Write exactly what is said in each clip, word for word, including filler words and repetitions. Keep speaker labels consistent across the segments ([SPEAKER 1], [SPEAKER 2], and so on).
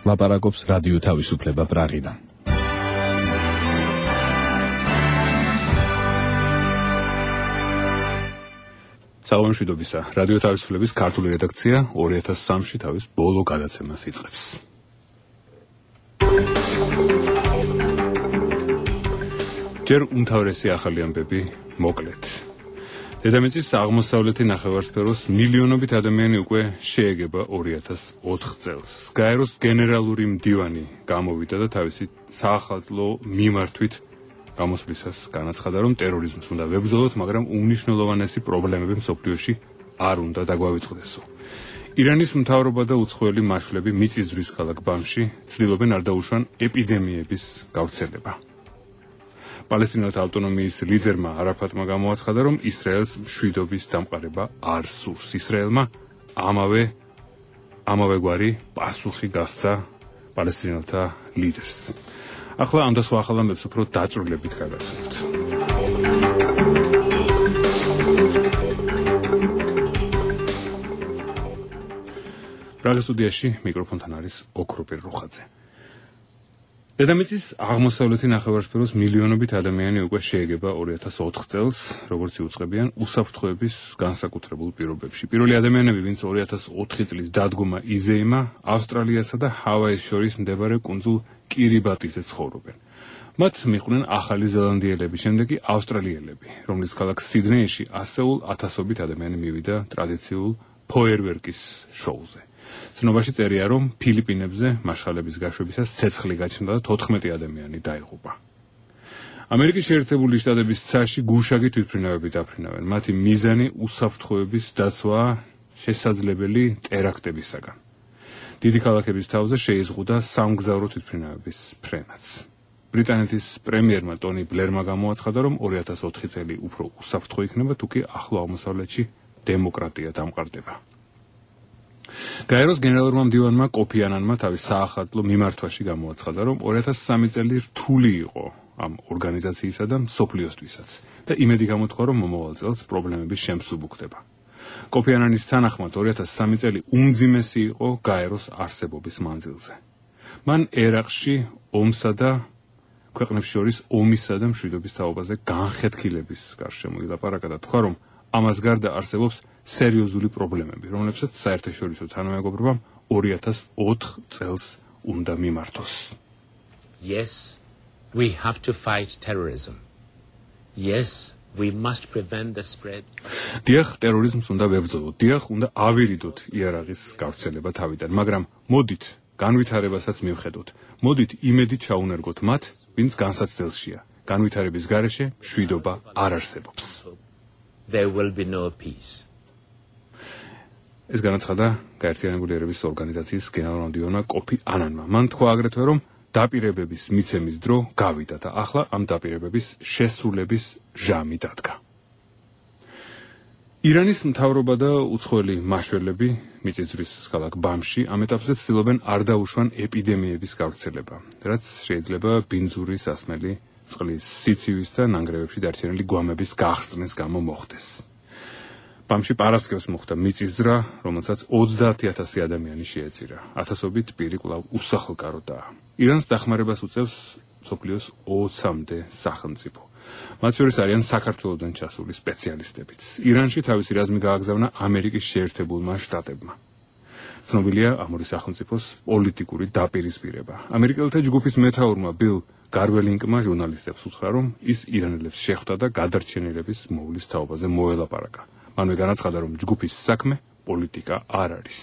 [SPEAKER 1] ლაპარაკობს რადიო თავისუფლება პრაღიდან. საღამოშვიდობისა, რადიო თავისუფლების ქართული რედაქცია ორი ათას სამში თავის ბოლო გადაცემას იწყებს. ჯერ უმთავრესი ახალი ამბები მოკლედ. დედამიწის აღმოსავლეთი ნახევარსფეროს მილიონობით ადამიანი უკვე შეეგება ორი ათას ოთხ წელს. გაეროს გენერალური მდივანი გამოვიდა და თავისი საახალწლო მიმართვით გამოსვლისას განაცხადა, რომ ტერორიზმს უნდა ვებრძოლოთ, მაგრამ უმნიშვნელოვანესი პრობლემები მსოფლიოში არ უნდა დაგვავიწყდესო. ირანის მთავრობა და უცხოელი მაშვლები მიწისძვრის ქალაქ ბამში ცდილობენ არ დაუშვან ეპიდემიების გავრცელება. პალესტინელთა ავტონომიის ლიდერმა არაფატმა გამოაცხადა, რომ ისრაელს მშვიდობის დამყარება არ სურს. ისრაელმა ამავე ამავე გვარი პასუხი გასცა პალესტინელთა ლიდერს. ახლა ამ და სხვა ახალ ამბებს უფრო დაწვრილებით გავაცნობთ. პრაღის სტუდიაში მიკროფონთან არის ოქროპირ რუხაძე. დედამიწის აღმოსავლეთი ნახევარსფეროს მილიონობით ადამიანი უკვე შეეგება ორი ათას ოთხ წელს, როგორც იუწყებიან უსაფრთხოების განსაკუთრებულ პირობებში. პირველი ადამიანები, ვინც ორი ათას ოთხი წლის დადგომა იზეიმა, ავსტრალიასა და ჰავაის შორის მდებარე კუნძულ კირიბატიზე ცხოვრობენ. მათ მიყვნენ ახალი ზელანდიელები, შემდეგ კი ავსტრალიელები, რომლის ქალაქ სიდნეიში ასეულ ათასობით ადამიანი მივიდა ტრადიციულ ფოიერვერკის შოუზე. ცნობაში წერია, რომ ფილიპინებზე მაშხალების გაშვებისას ცეცხლი გაჩნდა და თოთხმეტი ადამიანი დაიღუპა. ამერიკის შეერთებული შტატების ცაში გუშაგი თვითმფრინავები დაფრინავენ. მათი მიზანი უსაფრთხოების დაცვაა შესაძლებელი ტერაქტებისაგან. დიდი ქალაქების თავზე შეიზღუდა სამგზავრო თვითმფრინავების ფრენაც. ბრიტანეთის პრემიერმა ტონი ბლერმა გამოაცხადა, რომ ორი ათას ოთხი წელი უფრო უსაფრთხო იქნება, თუ კი ახლო აღმოსავლეთში დემოკრატია დამყარდება. გაეროს გენერალურმა მდივანმა კოფი ანანმა თავის საახალწლო მიმართვაში გამოაცხადა, რომ ორი ათას სამი წელი რთული იყო ამ ორგანიზაციისა და მსოფლიოსთვისაც და იმედი გამოთქვა, რომ მომავალ წელს პრობლემების შემსუბუქდება. კოფი ანანის თანახმად ორი ათას სამი წელი უმძიმესი იყო გაეროს არსებობის მანძილზე. მან ერაყში ომსა და ქვეყნებს შორის ომისა და მშვიდობის თაობაზე განხეთქილების გარშემო ილაპარაკა და თქვა, რომ ამას გარდა არსებობს სერიოზული პრობლემები, რომლებსაც საერთაშორისო თანამეგობრობამ ორი ათას ოთხ წელს უნდა მიმართოს.
[SPEAKER 2] Yes, we have to fight terrorism. Yes, we must prevent the spread.
[SPEAKER 1] დიახ, ტერორიზმს უნდა ვებრძოლოთ. დიახ, უნდა ავირიდოთ იარაღის გავრცელება თავიდან, მაგრამ მოდით განვითარებასაც მივხედოთ. მოდით იმედით ჩაუნერგოთ მათ, ვინც განსაცდელშია. განვითარების გარეშე მშვიდობა არ არსებობს.
[SPEAKER 2] There will be no peace.
[SPEAKER 1] ეს განაცხადა გაერთიანებული ერების ორგანიზაციის გენერალურმა მდივანმა კოფი ანანმა. მან თქვა აგრეთვე, რომ დაპირებების მიცემის დრო გავიდა და ახლა ამ დაპირებების შესრულების ჟამი დადგა. ირანის მთავრობა და უცხოელი მაშველები მიწისძვრის ქალაქ ბამში ამ ეტაპზე ცდილობენ არ დაუშვან ეპიდემიების გავრცელება, რაც შეიძლება ბინძური სასმელი წყლის სიცივის და ნანგრევებში დარჩენილი გვამების გახრწნის გამო მოხდეს. ბამში პარასკევს მოხდა მიწისძვრა, რომელსაც ოცდაათი ათასი ადამიანი შეეწირა. ათასობით პირი კვლავ უსახლკაროდაა. ირანს დახმარებას უწევს მსოფლიოს ოცამდე სახელმწიფო. მათ შორის არიან საქართველოდან ჩასული სპეციალისტებიც. ირანში თავისი რაზმი გააგზავნა ამერიკის შეერთებულმა შტატებმა. ცნობილია ამ ორი სახელმწიფოს პოლიტიკური დაპირისპირება. ამერიკელთა ჯგუფის მეთაურმა ბილ გარველინკმა ჟურნალისტებს უთხრა, რომ ის ირანელებს შეხვდა და გადარჩენილების მოვლის თაობაზე მოელაპარაკა. მანვე განაცხადა, რომ ჯგუფის საქმე პოლიტიკა არ არის.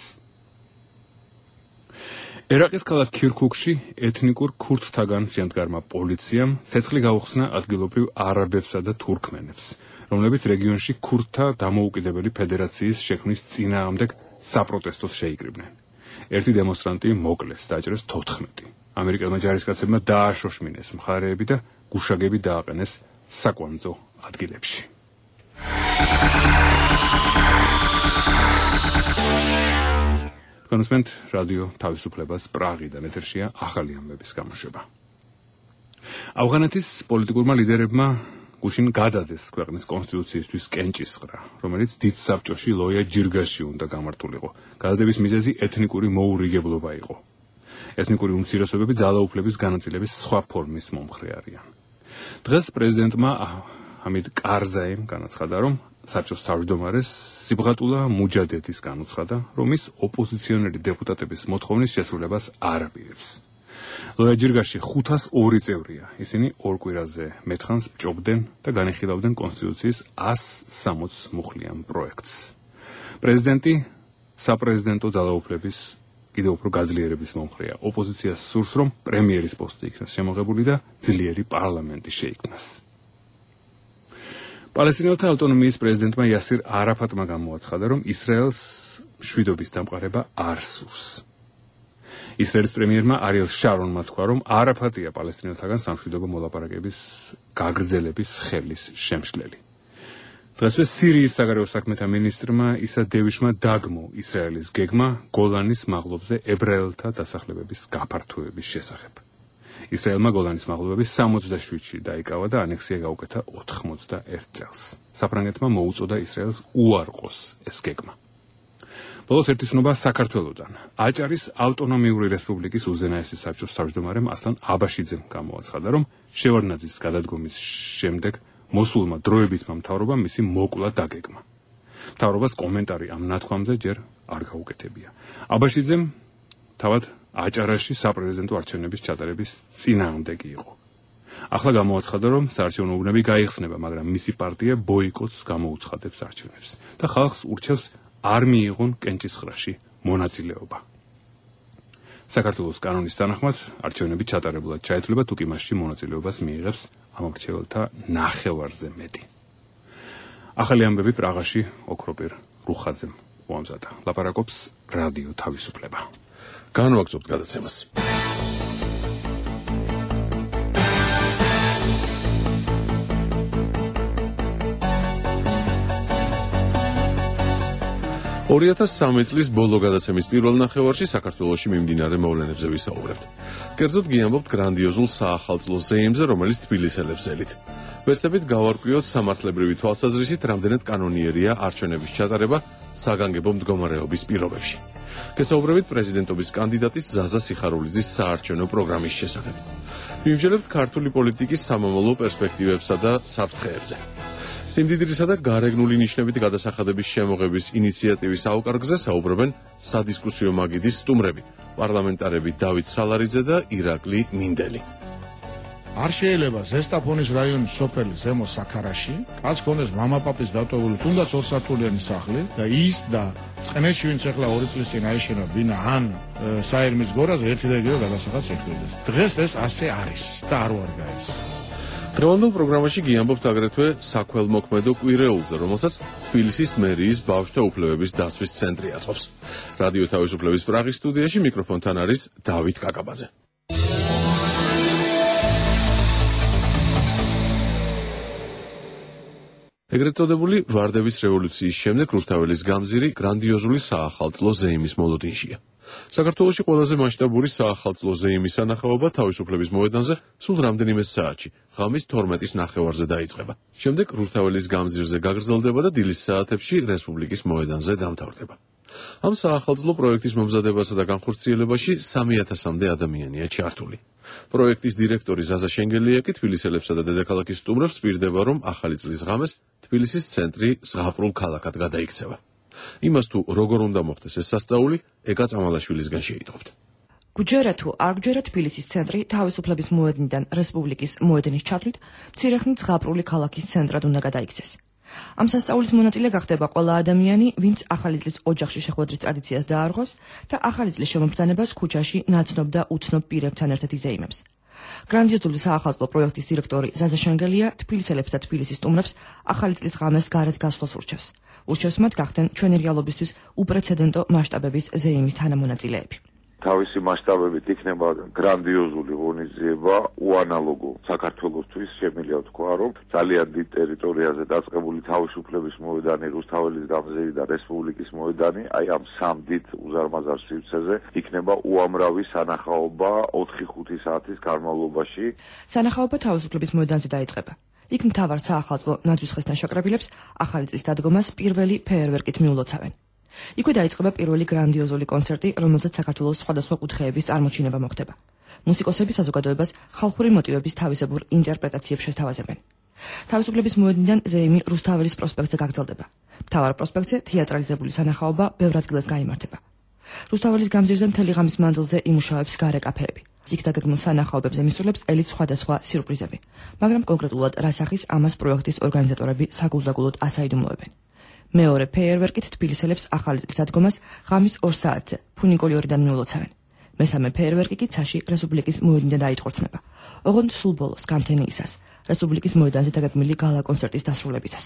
[SPEAKER 1] ერაყის ქალაქ ქირქუქში ეთნიკურ ქურთთაგან შემდგარმა პოლიციამ ცეცხლი გაუხსნა ადგილობრივ არაბებსა და თურქმენებს, რომლებიც რეგიონში ქურთთა დამოუკიდებელი ფედერაციის შექმნის წინააღმდეგ საპროტესტოს შეიკრიბნენ. ერთი დემონსტრანტი მოკლეს, დაჭრეს თოთხმეტი. ამერიკელმა ჯარისკაცებმა დააშოშმინეს მხარეები და გუშაგები დააყენეს საკვანძო ადგილებში. კონსმენტ რადიო თავისუფლებას პრაღიდან ეთერშია ახალი ამბების გამოშვება. ავღანეთის პოლიტიკურმა ლიდერებმა გუშინ გადადეს ქვეყნის კონსტიტუციისთვის კენჭისყრა, რომელიც დიდ საბჭოში ლოია ჯირგაში უნდა გამართულიყო. გადადების მიზეზი ეთნიკური მოურიგებლობა იყო. ეთნიკური უმცირესობები ძალაუფლების განაწილების სხვა ფორმის მომხრე არიან. დღეს პრეზიდენტმა ჰამიდ კარზაიმ განაცხადა, რომ საბჭოს თავმჯდომარეს სიბღატულა მუჯადედის განუცხადა, რომ ის ოპოზიციონერი დეპუტატების მოთხოვნის შესრულებას არ აპირებს. ლოია ჯირგაში ხუთას ორი წევრია. ისინი ორ კვირაზე მეთხანს ბჭობდნენ და განიხილავდნენ კონსტიტუციის ას სამოცდ მუხლიან პროექტს. პრეზიდენტი საპრეზიდენტო ძალაუფლების კიდევ უფრო გაძლიერების მომხრეა. ოპოზიციას სურს, რომ პრემიერის პოსტი იქნას შემოღებული და ძლიერი პარლამენტი შეიქმნას. პალესტინელთა ავტონომიის პრეზიდენტმა იასირ არაფატმა გამოაცხადა, რომ ისრაელს მშვიდობის დამყარება არ სურს. ისრაელის პრემიერმა არიელ შარონმა თქვა, რომ არაფატია პალესტინელთაგან სამშვიდობო მოლაპარაკების გაგრძელების ხელის შემშლელი. დღესვე სირიის საგარეო საქმეთა მინისტრმა ისა დევიშმა დაგმო ისრაელის გეგმა გოლანის მაღლობზე ებრაელთა დასახლებების გაფართოების შესახებ. ისრაელმა გოლანის მაღლობები სამოცდაშვიდში დაიკავა და ანექსია გაუკეთა ოთხმოცდაერთ წელს. საფრანგეთმა მოუწოდა ისრაელს უარყოს ეს გეგმა. ბოლოს ერთი ცნობა საქართველოდან. აჭარის ავტონომიური რესპუბლიკის უზენაესი საბჭოს თავმჯდომარემ ასლან აბაშიძემ გამოაცხადა, რომ შევარდნაძის გადადგომის შემდეგ მოსულმა დროებითმა მთავრობამ მისი მოკლა დაგეგმა. მთავრობას კომენტარი ამ ნათქვამზე ჯერ არ გაუკეთებია. აბაშიძემ თავად აჭარაში საპრეზიდენტო არჩევნების ჩატარების წინააღმდეგი იყო. ახლა გამოაცხადა, რომ საარჩევნო უბნები გაიხსნება, მაგრამ მისი პარტია ბოიკოტს გამოუცხადებს არჩევნებს და ხალხს ურჩევს არ მიიღონ კენჭისყრაში მონაწილეობა. საქართველოს კანონის თანახმად არჩევნები ჩატარებულად ჩაეთვლება, თუ კი მასში მონაწილეობას მიიღებს ამორჩეველთა ნახევარზე მეტი. ახალი ამბები პრაღაში ოქროპირ რუხაძემ უამზადა. ლაპარაკობს რადიო თავისუფლება.
[SPEAKER 3] განვაგრძობთ გადაცემას. ორი ათას სამი წლის ბოლო გადაცემის პირველ ნახევარში საქართველოში მიმდინარე მოვლენებზე ვისაუბრებთ. კერძოდ გიამბობთ გრანდიოზულ საახალწლო ზეიმზე, რომელიც თბილისელებს ელით. ვეცდებით გავარკვიოთ სამართლებრივი თვალსაზრისით, რამდენად კანონიერია არჩევნების ჩატარება საგანგებო მდგომარეობის პირობებში. გესაუბრებით პრეზიდენტობის კანდიდატის ზაზა სიხარულიძის საარჩევნო პროგრამის შესახებ. ვიმსჯელებთ ქართული პოლიტიკის სამომავლო პერსპექტივებსა და საფრთხეებზე. სიმდიდრისა და გარეგნული ნიშნებით გადასახადების შემოღების ინიციატივის აუკარგზე საუბრობენ სადისკუსიო მაგიდის სტუმრები, პარლამენტარები დავით სალარიძე და ირაკლი მინდელი.
[SPEAKER 4] არ შეიძლება ზესტაფონის რაიონის სოფელი ზემო საქარაში კაც ქონდეს მამაპაპის დატოვებული თუნდაც ორსართულიანი სახლი და ის და წყნეთში ვინც ახლა ორი წლის წინ აიშენა ბინა ან საერმის გორაზე ერთი და იგივე გადასახადს ეხდოდეს. დღეს ეს ასე არის და არ ვარგა ეს.
[SPEAKER 3] დღევანდელ პროგრამაში გიამბობთ აგრეთვე საქველმოქმედო კვირეულზე, რომელსაც თბილისის მერიის ბავშვთა უფლებების დაცვის ცენტრი აწყობს. რადიო თავისუფლების პრაღის სტუდიაში მიკროფონთან არის დავით კაკაბაძე. ეგრეთ წოდებული ვარდების რევოლუციის შემდეგ რუსთაველის გამზირი გრანდიოზული საახალწლო ზეიმის მოლოდინშია. საქართველოში ყველაზე მასშტაბური საახალწლო ზეიმის სანახაობა თავისუფლების მოედანზე სულ რამდენიმე საათში, ღამის თორმეტის ნახევარზე დაიწყება. შემდეგ რუსთაველის გამზირზე გაგრძელდება და დილის საათებში რესპუბლიკის მოედანზე დამთავრდება. ამ საახალწლო პროექტის მომზადებასა და განხორციელებაში სამი ათასამდე ადამიანია ჩართული. პროექტის დირექტორი ზაზა შენგელია კი თბილისელებსა და დედაქალაქის სტუმრებს პირდება, რომ ახალი წლის ღამეს თბილისის ცენტრი ზღაპრულ ქალაქად გადაიქცევა. იმას თუ როგორ უნდა მოხდეს ეს სასწაული, ეკა წამალაშვილისგან შეიტყობთ.
[SPEAKER 5] გუჯერა თუ არ გუჯერა თბილისის ცენტრი თავისუფლების მოედნიდან რესპუბლიკის მოედნის ჩათვლით მცირე ხნით ზღაპრული ქალაქის ცენტრად უნდა გადაიქცეს. ამ სასწაულის მონაწილე გახდება ყველა ადამიანი, ვინც ახალი წლის ოჯახში შეხვედრის ტრადიციას დაარღვევს და ახალი წლის შემობრძანებას ქუჩაში ნაცნობ და უცნობ პირებთან ერთად იზეიმებს. გრანდიოზული საახალწლო პროექტის დირექტორი ზაზა შენგელია თბილისელებს და თბილისის სტუმრებს ახალი წლის ღამეს გარეთ გასვლას ურჩევს. ურჩევს მათ გახდნენ ჩვენი რეალობისთვის უპრეცედენტო მასშტაბების ზეიმის თანამონაწილეები.
[SPEAKER 6] თავისი მასშტაბებით იქნება გრანდიოზული ღონისძიება, უანალოგო საქართველოსთვის, შემიძლია ვთქვა, რომ ძალიან დიდ ტერიტორიაზე დაწყებული თავისუფლების მოედანი, რუსთაველის გამზირი და რესპუბლიკის მოედანი, აი ამ სამ დიდ უზარმაზარ სივრცეზე იქნება უამრავი სანახაობა ოთხი ხუთი საათის განმავლობაში.
[SPEAKER 5] სანახაობა თავისუფლების მოედანზე დაიწყება. იქ მთავარ საახალწლო ნაძვის ხესთან შაკრებილებს ახალი წლის დადგომას პირველი ფეერვერკით მიულოცავენ. იქვე დაიწყება პირველი გრანდიოზული კონცერტი, რომელზეც საქართველოს სხვადასხვა კუთხეების წარმოჩინება მოხდება. მუსიკოსები საზოგადოებას ხალხური მოტივების თავისებურ ინტერპრეტაციებს შესთავაზებენ. თავისუფლების მოედნიდან ზეიმი რუსთაველის პროსპექტზე გაგრძელდება. მთავარ პროსპექტზე თეატრალიზებული სანახაობა ბევრ ადგილას გაიმართება. რუსთაველის გამზირზე მთელი ღამის მანძილზე იმუშავებს გარე კაფეები. იქ დაგეგმილ სანახაობებზე მისულებს ელით სხვადასხვა სიურპრიზები, მაგრამ კონკრეტულად რა სახის ამას პროექტის ორგანიზატორები საგულდაგულოდ ასაიდუმლოებენ. მეორე ფეიერვერკით თბილისელებს ახალი წლის დადგომას ღამის ორ საათზე ფუნიკოლიორიდან მიულოცავენ. მესამე ფეიერვერკი კი ცაში რესპუბლიკის მოედნიდან დაიტყორცნება. ოღონდ სულ ბოლოს გამთენიისას რესპუბლიკის მოედანზე დაგეგმილი გალა კონცერტის დასრულებისას.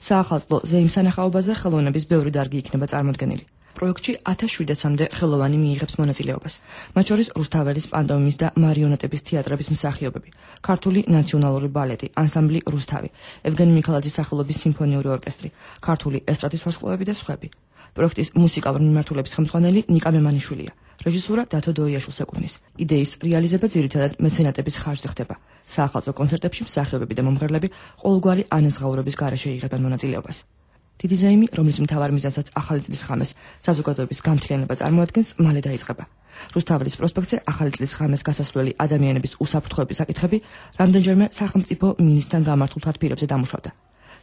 [SPEAKER 5] საახალწლო ზეიმ სანახაობაზე ხელოვნების ბევრი დარგი იქნება წარმოდგენილი. პროექტში ათას შვიდსამდე ხელოვანი მიიღებს მონაწილეობას, მათ შორის რუსთაველის პანტომიმის და მარიონეტების თეატრების მსახიობები, ქართული ნაციონალური ბალეტი, ანსამბლი რუსთავი, ევგენი მიქალაძის სახელობის სიმფონიური ორკესტრი, ქართული ესტრადის ვარსკვლავები და სხვები. პროექტის მუსიკალური მიმართულების ხელმძღვანელი ნიკა მემანიშვილია, რეჟისურა დათო დოიაშვილს ეკუთვნის. იდეის რეალიზება ძირითადად მეცენატების ხარჯზე ხდება. საახალწლო კონცერტებში მსახიობები და მომღერლები ყოველგვარი ანაზღაურების გარეშე იღებენ მონაწილეობას. დიდი ზეიმი, რომლის მთავარ მიზანსაც ახალი წლის ღამეს საზოგადოების გამთლიანება წარმოადგენს, მალე დაიწყება. რუსთაველის პროსპექტზე ახალი წლის ღამეს გასასვლელი ადამიანების უსაფრთხოების საკითხები რამდენჯერმე სახელმწიფო მინისტრთან გამართულ თათბირებზე დამუშავდა.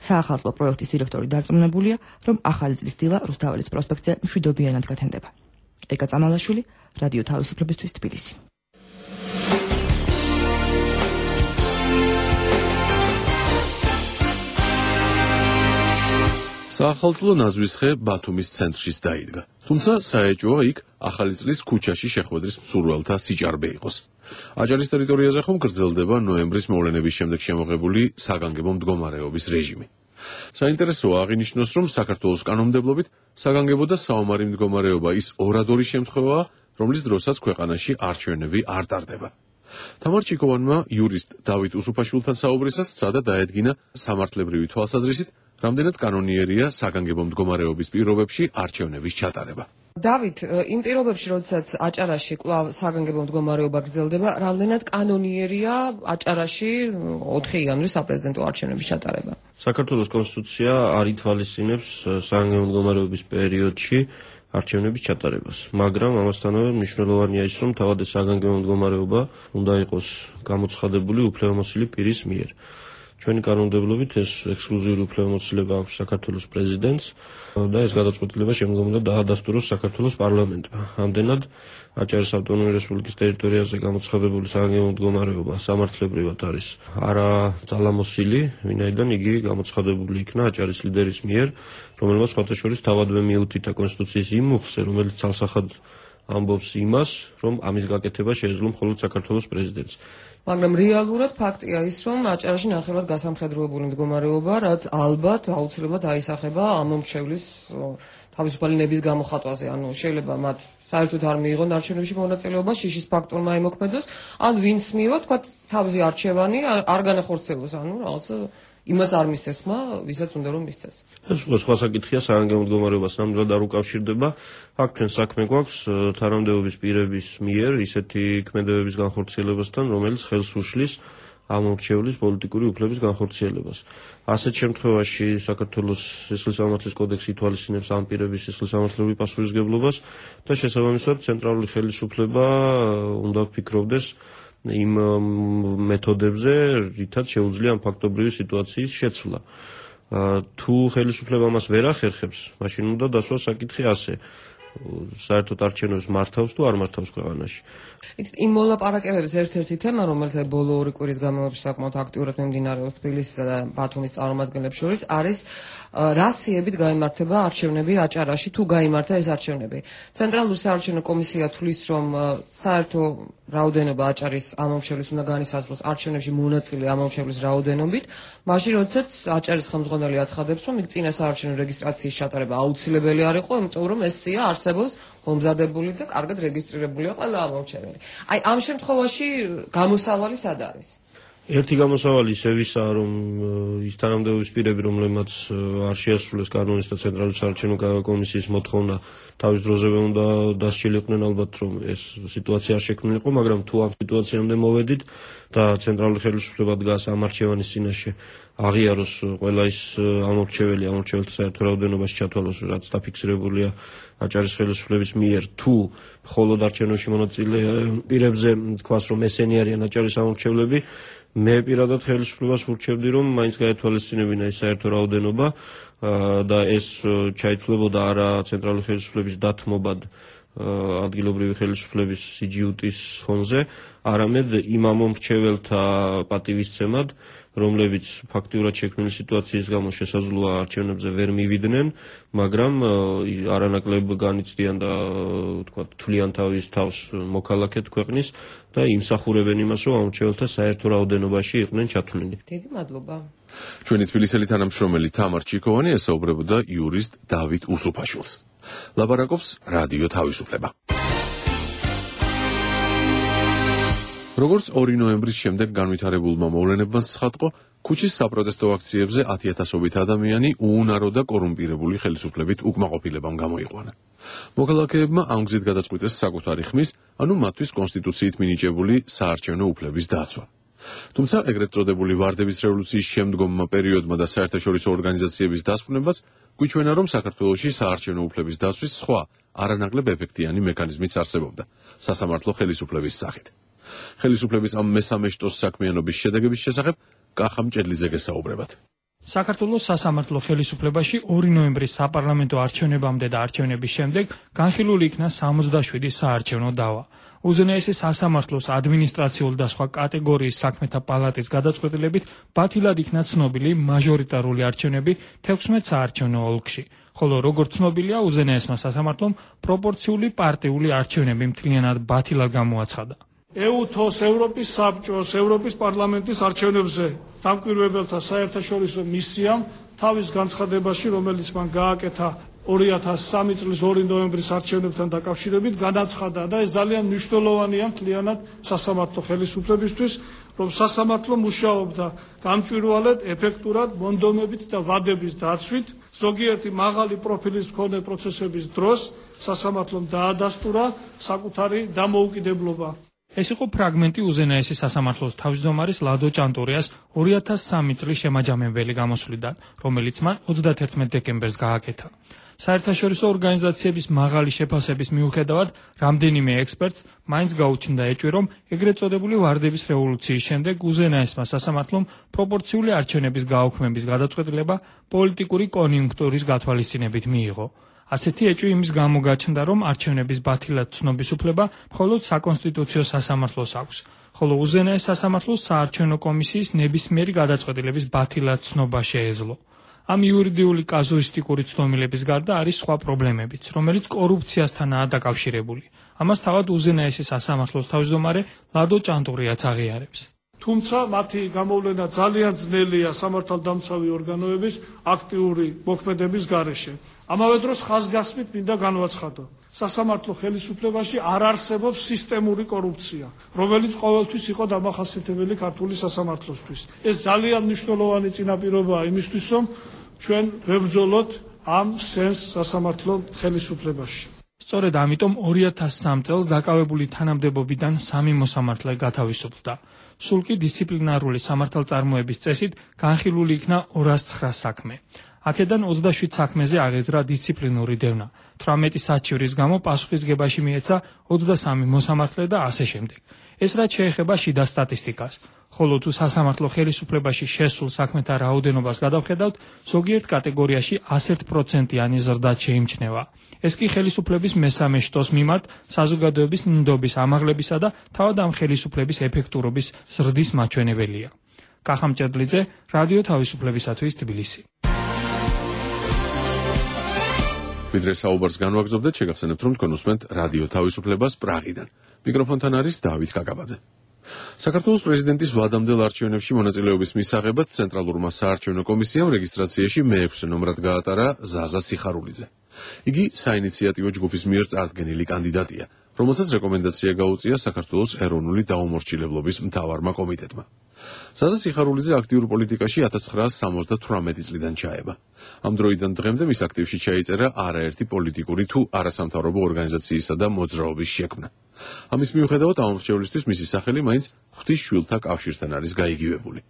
[SPEAKER 5] საახალწლო პროექტის დირექტორი დარწმუნებულია, რომ ახალი წლის დილა რუსთაველის პროსპექტზე მშვიდობიანად გათენდება. ეკა წამალაშვილი, რადიო თავისუფლებისთვის თბილისი.
[SPEAKER 3] საახალწლო ნაზვის ხე ბათუმის ცენტრშიც დაიდგა. თუმცა საეჭვოა იქ ახალი წლის ქუჩაში შეხვედრის მსურველთა სიჭარბე იყოს. აჭარის ტერიტორიაზე ხომ გრძელდება ნოემბრის მოვლენების შემდეგ შემოღებული საგანგებო მდგომარეობის რეჟიმი. საინტერესოა აღინიშნოს, რომ საქართველოს კანონმდებლობით საგანგებო და საომარი მდგომარეობა ის ორადორი შემთხვევაა, რომლის დროსაც ქვეყანაში არჩევნები არ ტარდება. თამარ ჩიკოვანმა იურისტ დავით უსუფაშვილთან საუბრისას სცადა დაედგინა სამართლებრივი თვალსაზრისით, რამდენად კანონიერია საგანგებო მდგომარეობის პირობებში არჩევნების ჩატარება.
[SPEAKER 7] დავით, იმ პირობებში, როდესაც აჭარაში კვლავ საგანგებო მდგომარეობა გრძელდება, რამდენად კანონიერია აჭარაში ოთხი იანვრის საპრეზიდენტო არჩევნების ჩატარება?
[SPEAKER 8] საქართველოს კონსტიტუცია არ ითვალისწინებს საგანგებო მდგომარეობის პერიოდში არჩევნების ჩატარებას, მაგრამ ამასთანავე მნიშვნელოვანია ის, რომ თავად ეს საგანგებო მდგომარეობა უნდა იყოს გამოცხადებული უფლებამოსილი პირის მიერ. ჩვენი კანონმდებლობით ეს ექსკლუზიური უფლებამოსილება აქვს საქართველოს პრეზიდენტს და ეს გადაწყვეტილება შემდგომ უნდა დაადასტუროს საქართველოს პარლამენტმა. ამდენად აჭარის ავტონომიური რესპუბლიკის ტერიტორიაზე გამოცხადებული საგანგებო მდგომარეობა სამართლებრივად არის არა ძალამოსილი, ვინაიდან იგი გამოცხადებული იქნა აჭარის ლიდერის მიერ, რომელმაც სხვათა შორის თავადვე მიუთითა კონსტიტუციის იმ მუხლზე, რომელიც ცალსახად ამბობს იმას, რომ ამის გაკეთება შეეძლო მხოლოდ საქართველოს პრეზიდენტს.
[SPEAKER 7] მაგრამ რეალურად ფაქტია ის, რომ აჭარაში ნახევრად გასამხედროებული მდგომარეობა, რაც ალბათ აუცილებლად აისახება ამ მომრჩევლის თავისუფალი ნების გამოხატვაზე. ანუ შეიძლება მათ საერთოდ არ მიიღონ არჩევნებში მონაწილეობა, შიშის ფაქტორმა ემოქმედოს, ან ვინც მიიღო, თქვა თავზე არჩევანი არ განახორციელოს, ანუ რაღაცა იმას არ მისცეს ხმა, ვისაც უნდა რომ მისცეს.
[SPEAKER 8] ეს სხვა საკითხია, საგანგებო მდგომარეობას ნამდვილად არ უკავშირდება. აქ ჩვენ საქმე გვაქვს თანამდებობის პირების მიერ ისეთი ქმედებების განხორციელებასთან, რომელიც ხელს უშლის ამ მომრჩევლის პოლიტიკური უფლების განხორციელებას. ასეთ შემთხვევაში საქართველოს სისხლისამართლის კოდექსი ითვალისწინებს ამ პირების სისხლისამართლებლური პასუხისმგებლობას და შესაბამისად ცენტრალური ხელისუფლება უნდა ვფიქრობდეს იმ მეთოდებზე, რითაც შეუძლია ამ ფაქტობრივი სიტუაციის შეცვლა. თუ ხელისუფლება მას ვერ ახერხებს, მაშინ უნდა დასვას საკითხი ასე. საერთოდ არჩევნებს მართავს თუ არ მართავს ქვეყანაში.
[SPEAKER 7] იცით, იმ მოლაპარაკებების ერთ-ერთი თემა, რომელიც ბოლო ორი კვირის განმავლობაში საკმაოდ აქტიურად მიმდინარეობს თბილისისა და ბათუმის წარმომადგენლებს შორის, არის რა სიებით გაიმართება არჩევნები აჭარაში, თუ გაიმართა ეს არჩევნები. ცენტრალური საარჩევნო კომისია თვლის, რომ საერთო რაოდენობა აჭარის ამომრჩევლის უნდა განისაზღვროს არჩევნებში მონაწილე ამომრჩევლის რაოდენობით, მაშინ როდესაც აჭარის ხელმძღვანელი აცხადებს, რომ იქ წინა საარჩევნო რეგისტრაციის ჩატარება აუცილებელი არ იყო, იმიტომ რომ ეს სია არსებობს მომზადებული და კარგად რეგისტრირებულია ყველა ამომრჩეველი. აი ამ შემთხვევაში გამოსავალი სად არის?
[SPEAKER 8] ერთი გამოსავალი ისე ვისაა, რომ ის თანამდებობის პირები, რომლებმაც არ შეასრულეს კანონის და ცენტრალური საარჩევნო კომისიის მოთხოვნა, თავის დროზე უნდა დასჯილიყვნენ ალბათ, რომ ეს სიტუაცია არ შექმნილიყო, მაგრამ თუ ამ სიტუაციამდე მოვედით და ცენტრალური ხელისუფლება დგას ამ არჩევანის წინაშე, აღიაროს ყველა ის ამორჩეველი, ამორჩეველთა საერთო რაოდენობაში ჩათვალოს, რაც დაფიქსირებულია აჭარის ხელისუფლების მიერ, თუ მხოლოდ არჩევნებში მონაწილე პირებზე თქვას, რომ ესენი არიან აჭარის ამორჩევლები, მე პირადად ხელისუფლებას ვურჩევდი, რომ მაინც გაეთვალისწინებინა ეს საერთო რაოდენობა და ეს ჩაითვლებოდა არა ცენტრალური ხელისუფლების დათმობად ადგილობრივი ხელისუფლების სიჯიუტის ფონზე, არამედ იმ ამომრჩეველთა პატივისცემად, რომლებიც ფაქტიურად შექმნილი სიტუაციის გამო შესაძლოა არჩევნებზე ვერ მივიდნენ, მაგრამ არანაკლებ განიცდიან და თქვა თვლიან თავის თავს მოქალაქედ ქვეყნის და იმსახურებენ იმას, რომ ამორჩეველთა საერთო რაოდენობაში იყვნენ ჩათვლილი.
[SPEAKER 7] დიდი მადლობა.
[SPEAKER 3] ჩვენი თბილისელი თანამშრომელი თამარ ჩიქოვანი ესაუბრებოდა იურისტ დავით უსუფაშვილს. ლაპარაკობს რადიო თავისუფლება. როგორც ორი ნოემბრის შემდეგ განვითარებულმა მოვლენებმა ცხადყო, ქუჩის საპროტესტო აქციებზე ათიათასობით ადამიანი უუნარო და კორუმპირებული ხელისუფლებით უკმაყოფილებამ გამოიყვანა. მოქალაქეებმა ამ გზით გადაწყვიტეს საკუთარი ხმის, ანუ მათთვის კონსტიტუციით მინიჭებული საარჩევნო უფლების დაცვა. თუმცა ეგრეთ წოდებული ვარდების რევოლუციის შემდგომმა პერიოდმა და საერთაშორისო ორგანიზაციების დასკვნებაც გვიჩვენა, რომ საქართველოში საარჩევნო უფლების დაცვის სხვა არანაკლებ ეფექტიანი მექანიზმიც არსებობდა სასამართლო ხელისუფლების სახით. ხელისუფლების ამ მესამე შტოს საქმიანობის შედეგების შესახებ კახა მჭედლიძე გესაუბრებათ.
[SPEAKER 9] საქართველოს სასამართლო ხელისუფლებაში ორი ნოემბრის საპარლამენტო არჩევნებამდე და არჩევნების შემდეგ განხილული იქნა სამოცდაშვიდი საარჩევნო დავა. უზენაესი სასამართლოს ადმინისტრაციული და სხვა კატეგორიის საქმეთა პალატის გადაწყვეტილებით ბათილად იქნა ცნობილი მაჟორიტარული არჩევნები თექვსმეტ საარჩევნო ოლქში, ხოლო როგორც ცნობილია, უზენაესმა სასამართლომ პროპორციული პარტიული არჩევნები მთლიანად ბათილად გამოაცხადა.
[SPEAKER 10] ეუთოს, ევროპის საბჭოს, ევროპის პარლამენტის არჩევნებზე დამკვირვებელთა საერთაშორისო მისიამ თავის განცხადებაში, რომელიც მან გააკეთა ორი ათას სამი წლის ორი ნოემბრის არჩევნებთან დაკავშირებით, განაცხადა და ეს ძალიან მნიშვნელოვანია მთლიანად სასამართლო ხელისუფლებისთვის, რომ სასამართლო მუშაობდა გამჭვირვალედ, ეფექტურად, მონდომებით და ვადების დაცვით, ზოგიერთი მაღალი პროფილის მქონე პროცესების დროს სასამართლომ დაადასტურა საკუთარი დამოუკიდებლობა.
[SPEAKER 9] ეს იყო ფრაგმენტი უზენაესი სასამართლოს თავმჯდომარის ლადო ჭანტურიას ორი ათას სამი წლის შემაჯამებელი გამოსვლიდან, რომელიც მან ოცდაათერთმეტ დეკემბერს გააკეთა. საერთაშორისო ორგანიზაციების მაღალი შეფასების მიუხედავად, რამდენიმე ექსპერტს მაინც გაუჩნდა ეჭვი, რომ ეგრეთ წოდებული ვარდების რევოლუციის შემდეგ უზენაესმა სასამართლომ პროპორციული არჩევნების გაუქმების გადაწყვეტილება პოლიტიკური კონიუნქტურის გათვალისწინებით მიიღო. ასეთი ეჭვი იმის გამო გაჩნდა, რომ არჩევნების ბათილად ცნობის უფლება მხოლოდ საკონსტიტუციო სასამართლოს აქვს, ხოლო უზენაეს სასამართლოს საარჩევნო კომისიის ნებისმიერი გადაწყვეტილების ბათილად ცნობა შეეძლო. ამ იურიდიული კაზუისტიკური ცდომილების გარდა არის სხვა პრობლემებიც, რომელიც კორუფციასთანაა დაკავშირებული. ამას თავად უზენაესი სასამართლოს თავმჯდომარე ლადო ჭანტურიაც აღიარებს.
[SPEAKER 10] თუმცა მათი გამოვლენა ძალიან ძნელია სამართალდამცავი ორგანოების აქტიური მოქმედების გარეშე. ამავე დროს ხაზგასმით მინდა განვაცხადო. სასამართლო ხელისუფლებაში არ არსებობს სისტემური კორუფცია, რომელიც ყოველთვის იყო დამახასიათებელი ქართული სასამართლოსთვის. ეს ძალიან მნიშვნელოვანი წინაპირობაა იმისთვის, რომ ჩვენ ვებრძოლოთ ამ სენს სასამართლო ხელისუფლებაში.
[SPEAKER 9] სწორედ ამიტომ ორი ათას სამი წელს დაკავებული თანამდებობიდან სამი მოსამართლე გათავისუფლდა. სულ კი დისციპლინარული სამართალწარმოების წესით განხილული იქნა ორას ცხრა საქმე. აქედან ოცდაშვიდ საქმეზე აღეძრა დისციპლინური დევნა, თვრამეტი საჩივრის გამო პასუხისგებაში მიეცა ოცდასამი მოსამართლე და ასე შემდეგ. ეს რაც შეეხება შიდა სტატისტიკას, ხოლო თუ სასამართლო ხელისუფლებაში შესულ საქმეთა რაოდენობას გადავხედავთ, ზოგიერთ კატეგორიაში ასი პროცენტიანი ზრდა შეიმჩნევა. ეს კი ხელისუფლების მესამე შტოს მიმართ საზოგადოების ნდობის ამაღლებისა და თავად ამ ხელისუფლების ეფექტურობის ზრდის მაჩვენებელია. კახა მჭედლიძე, რადიო თავისუფლებისათვის თბილისი.
[SPEAKER 3] ვიდრე საუბარს განვაგრძობდეთ, შეგახსენებთ, რომ თქვენ უსმენთ რადიო თავისუფლებას პრაღიდან. მიკროფონთან არის დავით კაკაბაძე. საქართველოს პრეზიდენტის ვადამდელ არჩევნებში მონაწილეობის მისაღებად ცენტრალურმა საარჩევნო კომისიამ რეგისტრაციაში მეექვსე ნომრად გაატარა ზაზა სიხარულიძე. იგი საინიციატივო ჯგუფის მიერ წარდგენილი კანდიდატია, რომელსაც რეკომენდაცია გაუწია საქართველოს ეროვნული დაუმორჩილებლობის მთავარმა კომიტეტმა. ზაზა სიხარულიძე აქტიურ პოლიტიკაში ათას ცხრაასი სამოცდათვრამეტი წლიდან ჩაება. ამ დროიდან დღემდე მის აქტივში ჩაიწერა არაერთი პოლიტიკური თუ არასამთავრობო ორგანიზაციისა და მოძრაობის შექმნა. ამის მიუხედავად ამორჩევლისთვის მისი სახელი მაინც ღვთის შვილთა კავშირთან არის გაიგივებული.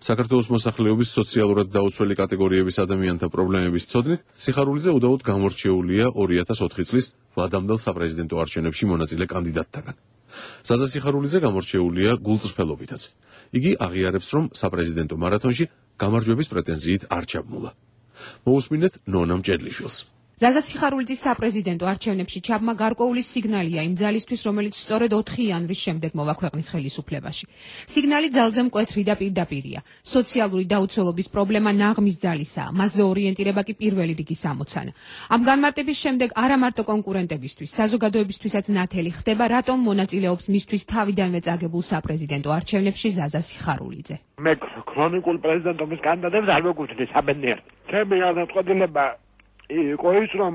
[SPEAKER 3] საქართველოს მოსახლეობის სოციალურად დაუცველი კატეგორიების ადამიანთა პრობლემების ცოდნით სიხარულიძე უდაოდ გამორჩეულია ორი ათას ოთხი წლის ვლადამდელ საპრეზიდენტო არჩევნებში მონაწილე კანდიდატთაგან. ზაზა სიხარულიძე გამორჩეულია გულწრფელობითაც. იგი აღიარებს, რომ საპრეზიდენტო მარათონში გამარჯვების პრეტენზიით არ ჩაბმულა. მოусმინეთ ნონა მჭედლიშვილს.
[SPEAKER 11] ზაზა სიხარულიძის საპრეზიდენტო არჩევნებში ჩაბმა გარკვეული სიგნალია იმ ძალისთვის, რომელიც სწორედ ოთხი იანვრის შემდეგ მოვა ქვეყნის ხელისუფლებაში. სიგნალი ძალზე მკვეთრი და პირდაპირია. სოციალური დაუცველობის პრობლემა ნაღმის ძალისაა, მასზე ორიენტირება კი პირველი რიგის ამოცანა. ამ განმარტების შემდეგ არა მარტო კონკურენტებისთვის, საზოგადოებისთვისაც ნათელი ხდება, რატომ მონაწილეობს მისთვის თავიდანვე წაგებულ საპრეზიდენტო არჩევნებში ზაზა სიხარულიძე.
[SPEAKER 12] მე ქრონიკულ პრეზიდენტობის კანდიდატებს არ მოგუჩნდა საბედნიეროდ. ჩემი გადაწყვეტილება იყო ის, რომ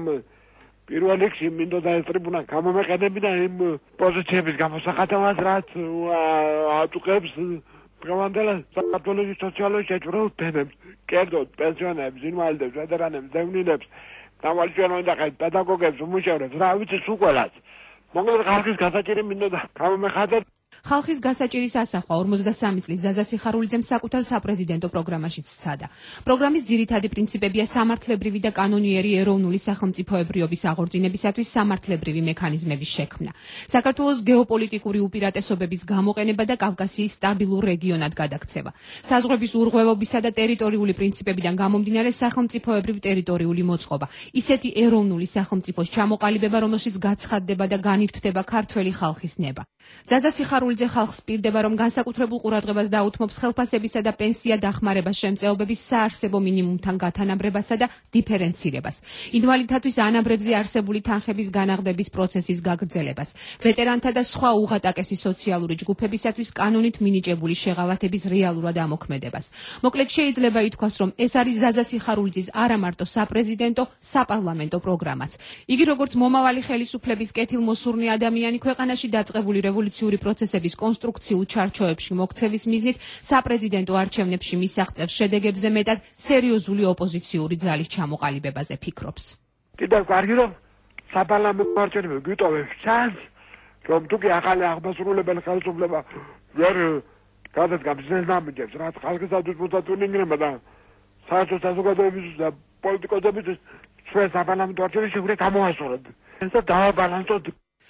[SPEAKER 12] პირველ რიგში მინდოდა ეს ტრიბუნა გამომეყენებინა იმ პოზიციების გამოსახატავად, რაც აწუხებს დღევანდელ საქართველოს სოციალურ შეჭრილ თემებს, კერძოდ პენსიონერებს, ინვალიდებს, ვეტერანებს, დევნილებს, დავალჩვენონდახეთ, პედაგოგებს, უმუშევრებს, რა ვიცი სულ ყველას. მოკლედ ხალხის გასაჭირი მინდოდა გამომეხატოთ.
[SPEAKER 11] ხალხის გასაჭირის ასახვა ორმოცდასამი წლის ზაზა სიხარულიძემ საკუთარ საპრეზიდენტო პროგრამაშიც სცადა. პროგრამის ძირითადი პრინციპებია სამართლებრივი და კანონიერი ეროვნული სახელმწიფოებრიობის აღორძინებისათვის სამართლებრივი მექანიზმების შექმნა. საქართველოს გეოპოლიტიკური უპირატესობების გამოყენება და კავკასიის სტაბილურ რეგიონად გადაქცევა. საზღვრების ურღვევობისა და ტერიტორიული პრინციპებიდან გამომდინარე სახელმწიფოებრივ ტერიტორიული მოწყობა. ისეთი ეროვნული სახელმწიფოს ჩამოყალიბება, რომელშიც გაცხადდება და განირთდება ქართველი ხალხის ნება. ზაზა სიხარულიძე ხალხს პირდება, რომ განსაკუთრებულ ყურადღებას დაუთმობს ხელფასებისა და პენსია დახმარებას შემწეობების საარსებო მინიმუმთან გათანაბრებასა და დიფერენცირებას, ინვალიდთათვის ანაბრებზე არსებული თანხების განაღდების პროცესის გაგრძელებას, ვეტერანთა და სხვა უღატაკესი სოციალური ჯგუფებისათვის კანონით მინიჭებული შეღავათების რეალურად ამოქმედებას. მოკლედ შეიძლება ითქვას, რომ ეს არის ზაზა სიხარულიძის არა მარტო საპრეზიდენტო, საპარლამენტო პროგრამაც. იგი როგორც მომავალი ხელისუფლების კეთილმოსურნე ადამიანი ქვეყანაში დაწყებული რევოლუციური პროცესების კონსტრუქციულ ჩარჩოებში მოქცევის მიზნით საპრეზიდენტო არჩევნებში მისაღწევ შედეგებზე მეტად სერიოზული ოპოზიციური ძალის ჩამოყალიბებაზე ფიქრობს.
[SPEAKER 12] კიდევ კარგი რომ საპარლამენტო არჩევნები გვიტოვებს ჩანს, რომ თუკი ახალი აღმასრულებელი ხელისუფლება ვერ გადადგამს ეს ნაბიჯებს, რაც ხალხისათვის მოსაწონინგება და საერთო საზოგადოების და პოლიტიკოსების ჩვენ საპარლამენტო არჩევნებში უნდა გამოასწოროთ. ეს დააბალანსოთ.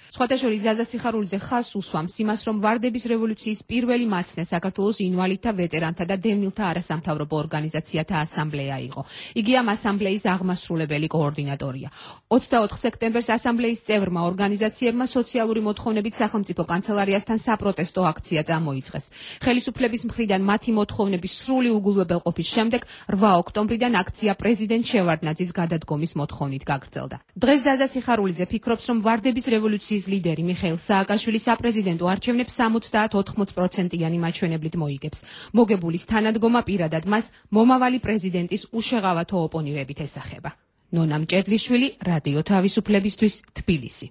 [SPEAKER 11] სხვათა შორის ზაზა სიხარულიძე ხაზს უსვამს იმას, რომ ვარდების რევოლუციის პირველი მაცნე საქართველოს ინვალიდთა, ვეტერანთა და დევნილთა არასამთავრობო ორგანიზაციათა ასამბლეა იყო. იგი ამ ასამბლეის აღმასრულებელი კოორდინატორია. ოცდაოთხ სექტემბერს ასამბლეის წევრმა ორგანიზაციებმა სოციალური მოთხოვნებით სახელმწიფო კანცელარიასთან საპროტესტო აქცია წამოიწყეს. ხელისუფლების მხრიდან მათი მოთხოვნების სრული უგულვებელყოფის შემდეგ რვა ოქტომბრიდან აქცია პრეზიდენტ შევარდნაძის გადადგომის მოთხოვნით გაგრძელდა. დღეს ზაზა სიხარულიძე ფიქრობს, რომ ვარდების რევოლუციის ლიდერი მიხეილ სააკაშვილი საპრეზიდენტო არჩევნებს სამოცდაათ ოთხმოც პროცენტიანი მაჩვენებლით მოიგებს. მოგებულის თანადგომა პირადად მას მომავალი პრეზიდენტის უშეღავათო ოპონირებით ესახება. ნონა მჭედლიშვილი, რადიო თავისუფლებისთვის, თბილისი.